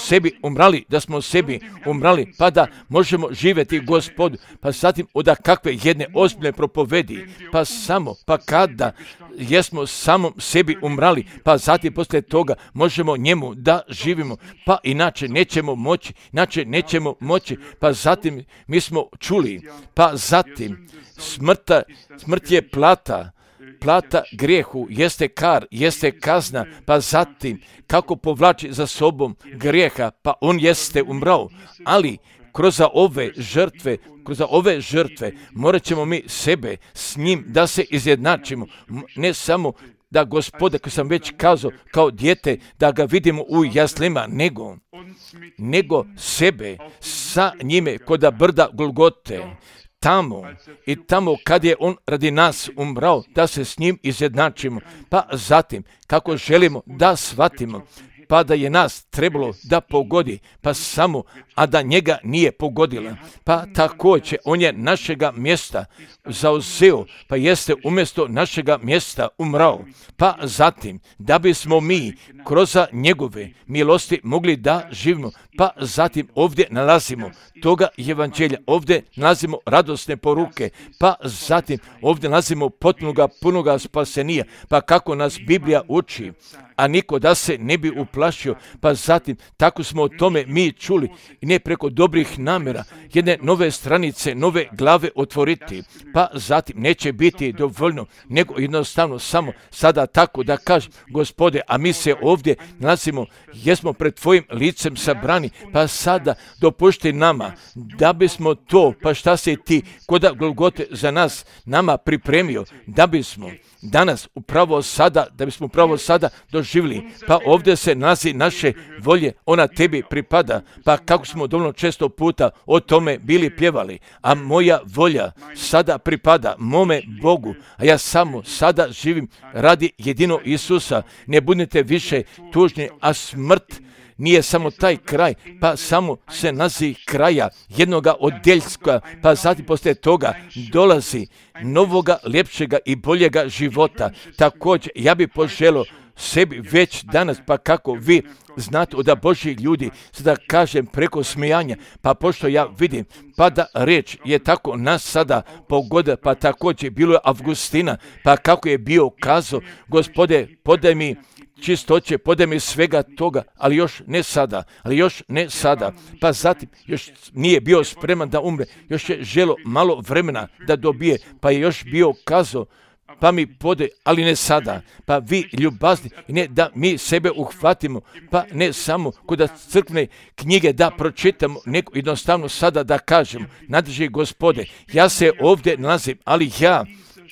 sebi umrali, pa da možemo živjeti Gospodu, pa zatim od kakve jedne ozbiljne propovedi, pa kada jesmo samom sebi umrali, pa zatim poslije toga možemo njemu da živimo, pa inače nećemo moći, pa zatim mi smo čuli, pa zatim smrt je plata grijehu, jeste kazna, pa zatim kako povlači za sobom grijeha, pa on jeste umrao, ali kroz ove žrtve morat ćemo mi sebe s njim da se izjednačimo, ne samo da Gospoda, koji sam već kazao, kao dijete, da ga vidimo u jaslima, nego sebe sa njime kod brda Golgote, tamo kad je on radi nas umrao, da se s njim izjednačimo, pa zatim kako želimo da shvatimo, pa da je nas trebalo da pogodi, pa samo, a da njega nije pogodila. Pa također, on je našega mjesta zauzeo, pa jeste umjesto našega mjesta umrao. Pa zatim, da bismo mi kroz njegove milosti mogli da živimo, pa zatim ovdje nalazimo toga evanđelja, ovdje nalazimo radosne poruke, pa zatim ovdje nalazimo punoga spasenija, pa kako nas Biblija uči, a niko da se ne bi uplašio, pa zatim tako smo o tome mi čuli i ne preko dobrih namjera jedne nove stranice, nove glave otvoriti, pa zatim neće biti dovoljno, nego jednostavno samo sada tako da kažem, Gospode, a mi se ovdje nalazimo, jesmo pred tvojim licem sabrani, pa sada dopušti nama da bismo to, pa šta si ti kod Golgote za nas nama pripremio, da bismo danas upravo sada doživjeli, pa ovdje se nalazi naše volje, ona tebi pripada, pa kako smo dovoljno često puta o tome bili pjevali, a moja volja sada pripada mome Bogu, a ja samo sada živim radi jedino Isusa, ne budite više tužni, a smrt nije samo taj kraj, pa samo se nazi kraja jednoga odjeljska, pa zatim poslije toga dolazi novoga, ljepšega i boljega života. Također, ja bih poželio sebi već danas, pa kako vi znate od Božji ljudi, sada kažem preko smijanja, pa pošto ja vidim, pa da reč je tako nas sada pogoda, pa također bilo je Avgustina, pa kako je bio kazao, Gospode, podaj mi čistoće, podaj mi svega toga, ali još ne sada, pa zatim još nije bio spreman da umre, još je želo malo vremena da dobije, pa je još bio kazao, pa mi podaj, ali ne sada, pa vi ljubazni, ne da mi sebe uhvatimo, pa ne samo kod crkvene knjige da pročitamo, nego jednostavno sada da kažemo, nadrži Gospode, ja se ovdje nalazim, ali ja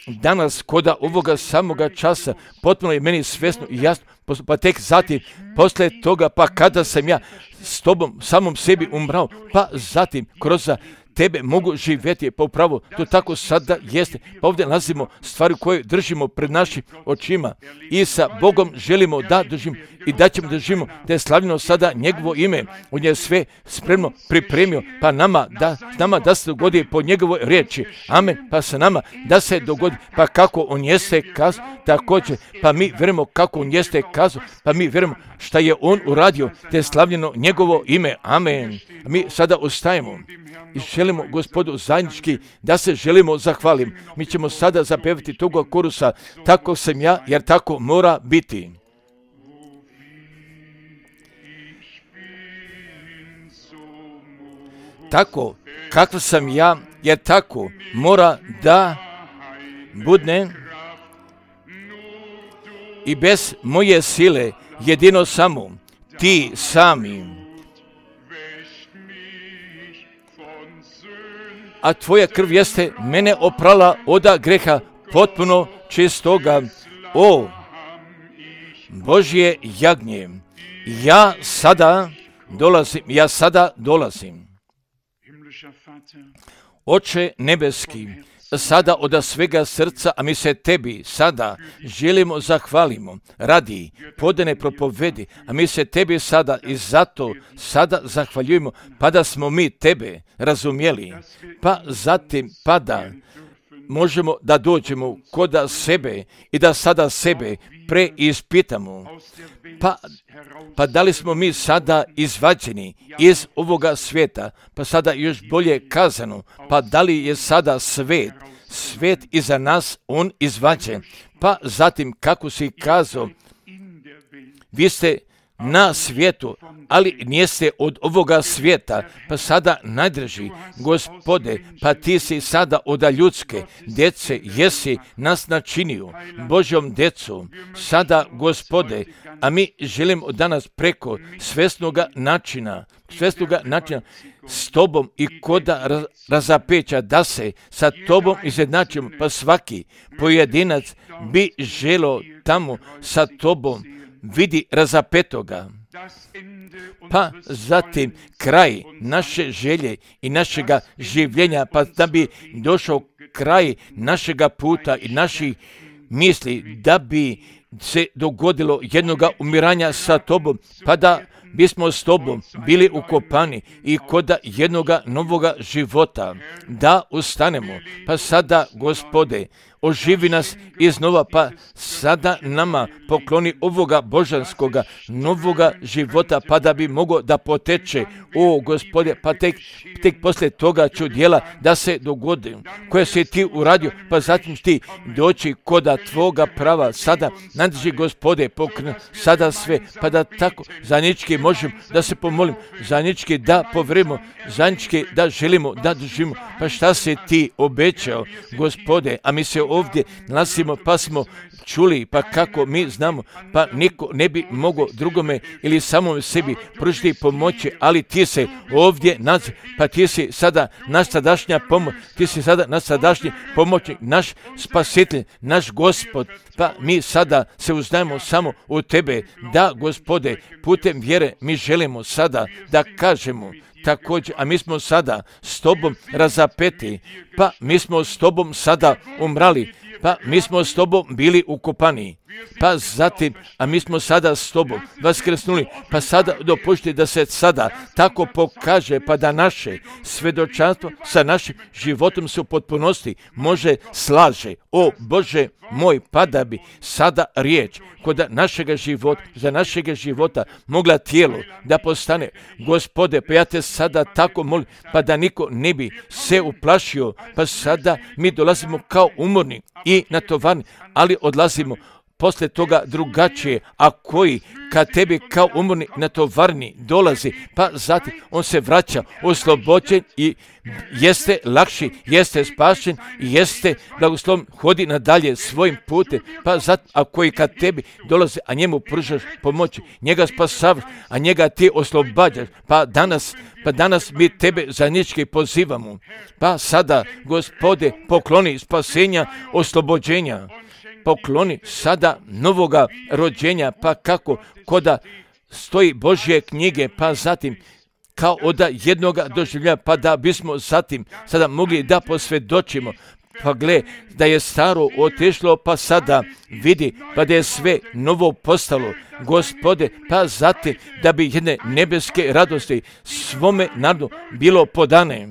danas kod ovoga samoga časa potpuno je meni svjesno i jasno, pa tek zatim poslije toga, pa kada sam ja s tobom samom sebi umrao, pa zatim kroz tebe mogu živjeti, pa upravo to tako sada jeste, pa ovdje nalazimo stvari koje držimo pred našim očima i sa Bogom želimo da držimo i da ćemo držimo, da je slavljeno sada njegovo ime, on je sve spremno pripremio, pa nama da se dogodi po njegovoj riječi, amen, pa sa nama da se dogodi, pa kako on jeste kazao, također, pa mi vjerujemo kako on jeste kazao, pa mi vjerujemo šta je on uradio, da je slavljeno njegovo ime, amen. A mi sada ostajemo i želimo Gospodu zajednički da se želimo zahvalim. Mi ćemo sada zapevati toga korusa, tako sam ja, jer tako mora biti. Tako, kakav sam ja, jer tako mora da budne. i bez moje sile, jedino samo ti sami. A tvoja krv jeste mene oprala od greha potpuno čistoga. O Božje jagnje, ja sada dolazim. Oče nebeski, sada od svega srca, a mi se tebi sada želimo zahvalimo radi podane propovedi, a mi se tebi sada i zato sada zahvaljujemo, pa da smo mi tebe razumjeli, pa zatim pa da možemo da dođemo kod sebe i da sada sebe preispitamo. Pa da li smo mi sada izvađeni iz ovoga svijeta, pa sada još bolje kazano, pa da li je sada svijet iza nas, on izvađen. Pa zatim, kako si kazao, vi ste na svijetu, ali nijeste od ovoga svijeta, pa sada najdrži, Gospode, pa ti si sada od ljudske djece, jesi nas načinio Božjom djecom, sada, Gospode, a mi želimo danas preko svjesnoga načina s tobom i koda razapeća, da se sa tobom izjednačimo, pa svaki pojedinac bi želo tamo sa tobom vidi razapetoga. Pa zatim kraj naše želje i našega življenja, pa da bi došao kraj našega puta i naših misli, da bi se dogodilo jednoga umiranja sa tobom, pa da bismo s tobom bili ukopani i kod jednoga novoga života, da ustanemo. Pa sada, Gospode, oživi nas iznova, pa sada nama pokloni ovoga božanskoga novoga života, pa da bi mogao da poteče, o Gospode, pa tek poslije toga ću djela da se dogodi, koje si ti uradio, pa zatim ti doći koda tvoga prava, sada nadrži, Gospode, pokren sada sve, pa da tako zajednički možemo da se pomolim, zajednički da povrimo, zajednički da želimo da držimo, pa šta si ti obećao, Gospode, a mi se ovdje nalazimo, pa smo čuli, pa kako mi znamo, pa niko ne bi mogao drugome ili samom sebi pružiti pomoći, ali ti se ovdje nađi, pa ti si sada naš sadašnja pomoć, ti si sada naš sadašnji pomoćnik, naš spasitelj, naš Gospod, pa mi sada se uzdajemo samo u tebe, da, Gospode, putem vjere mi želimo sada da kažemo također, a mi smo sada s tobom razapeti, pa mi smo s tobom sada umrali, pa mi smo s tobom bili ukopani, pa zatim, a mi smo sada s tobom vaskrsnuli, pa sada dopušti da se sada tako pokaže, pa da naše svjedočanstvo sa našim životom se u potpunosti može slaže. O Bože moj, pa da bi sada riječ kod našega života, za našega života mogla tijelo da postane, Gospode, pa ja te sada tako molim, pa da niko ne bi se uplašio, pa sada mi dolazimo kao umorni i natovarni, ali odlazimo poslije toga drugačije, a koji kad tebi kao umorni natovarni dolazi, pa zatim on se vraća oslobođen i jeste lakši, jeste spašen i jeste blagosloven, hodi nadalje svojim putem, pa zatim, a koji kad tebi dolazi, a njemu pružaš pomoći, njega spasavaš, a njega ti oslobađaš, pa danas mi tebe zajednički pozivamo, pa sada, Gospode, pokloni spasenja, oslobođenja, pokloni sada novoga rođenja, pa kako koda stoji Božje knjige, pa zatim kao od jednoga doživlja, pa da bismo zatim sada mogli da posvjedočimo, pa gle, da je staro otišlo, pa sada vidi, pa da je sve novo postalo, Gospode, pa zatim da bi jedne nebeske radosti svome narodu bilo podane.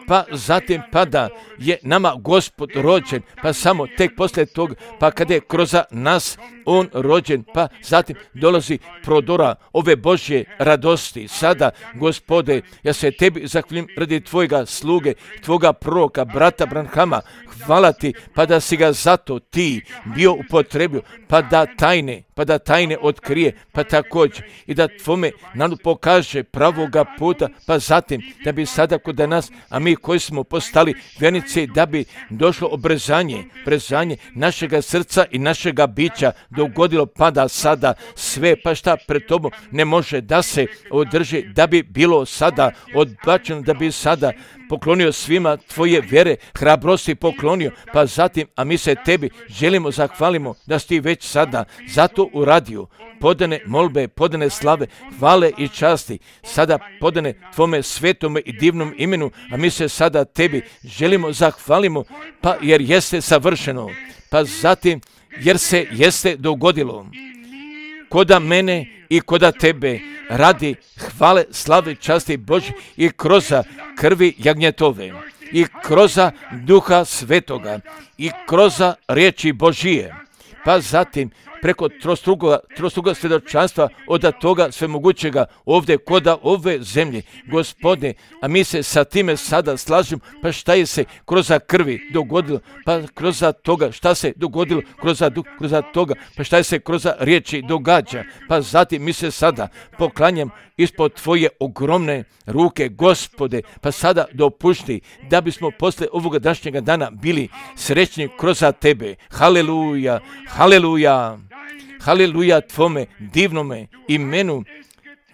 Pa zatim pa da je nama Gospod rođen, pa samo tek poslije toga, pa kada je kroz nas on rođen, pa zatim dolazi prodora ove Božje radosti. Sada, Gospode, ja se tebi zahvaljujem radi tvojega sluge, tvoga proroka, brata Branhama, hvala ti, pa da si ga zato ti bio upotrebio, pa da tajne pa da tajne otkrije, pa također i da tvome nam pokaže pravoga puta, pa zatim da bi sada kod nas, a mi koji smo postali vjernici, da bi došlo obrezanje našega srca i našega bića dogodilo, pa da sada sve, pa šta pred tobom ne može da se održi, da bi bilo sada odbačeno, da bi sada poklonio svima tvoje vjere, hrabrosti poklonio, pa zatim, a mi se tebi želimo zahvalimo da si ti već sada zato uradio, podane molbe, podane slave, hvale i časti, sada podane tvome svetome i divnom imenu, a mi se sada tebi želimo zahvalimo, pa jer jeste savršeno, pa zatim jer se jeste dogodilo koda mene i koda tebe radi hvale, slave, časti Božje i kroz krvi jagnjetove i kroz Duha Svetoga i kroz riječi Božije, pa zatim preko trostruga svjedočanstva od toga svemogućega ovdje koda ove zemlje, Gospode, a mi se sa time sada slažemo, pa šta je se kroz krvi dogodilo, pa kroz toga šta se dogodilo, kroz toga, pa šta je se kroz riječi događa, pa zatim mi se sada poklanjam ispod tvoje ogromne ruke, Gospode, pa sada dopušti da bismo posle ovoga današnjega dana bili srećni kroz tebe. Haleluja, haleluja. Haleluja tvome divnome imenu,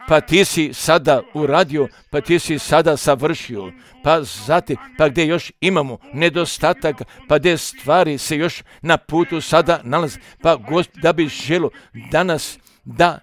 pa ti si sada uradio, pa ti si sada savršio, pa zatim, pa gdje još imamo nedostatak, pa gdje stvari se još na putu sada nalaze, pa Gospod, da bi želo danas da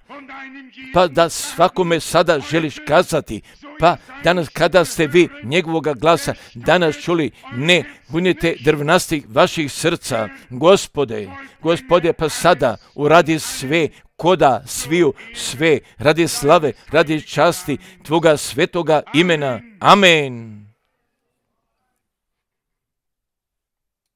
svakome sada želiš kazati, pa danas kada ste vi njegovoga glasa danas čuli, ne budite drvnastih vaših srca, Gospode, pa sada uradi sve, koda sviju sve, radi slave, radi časti tvoga svetoga imena. Amen.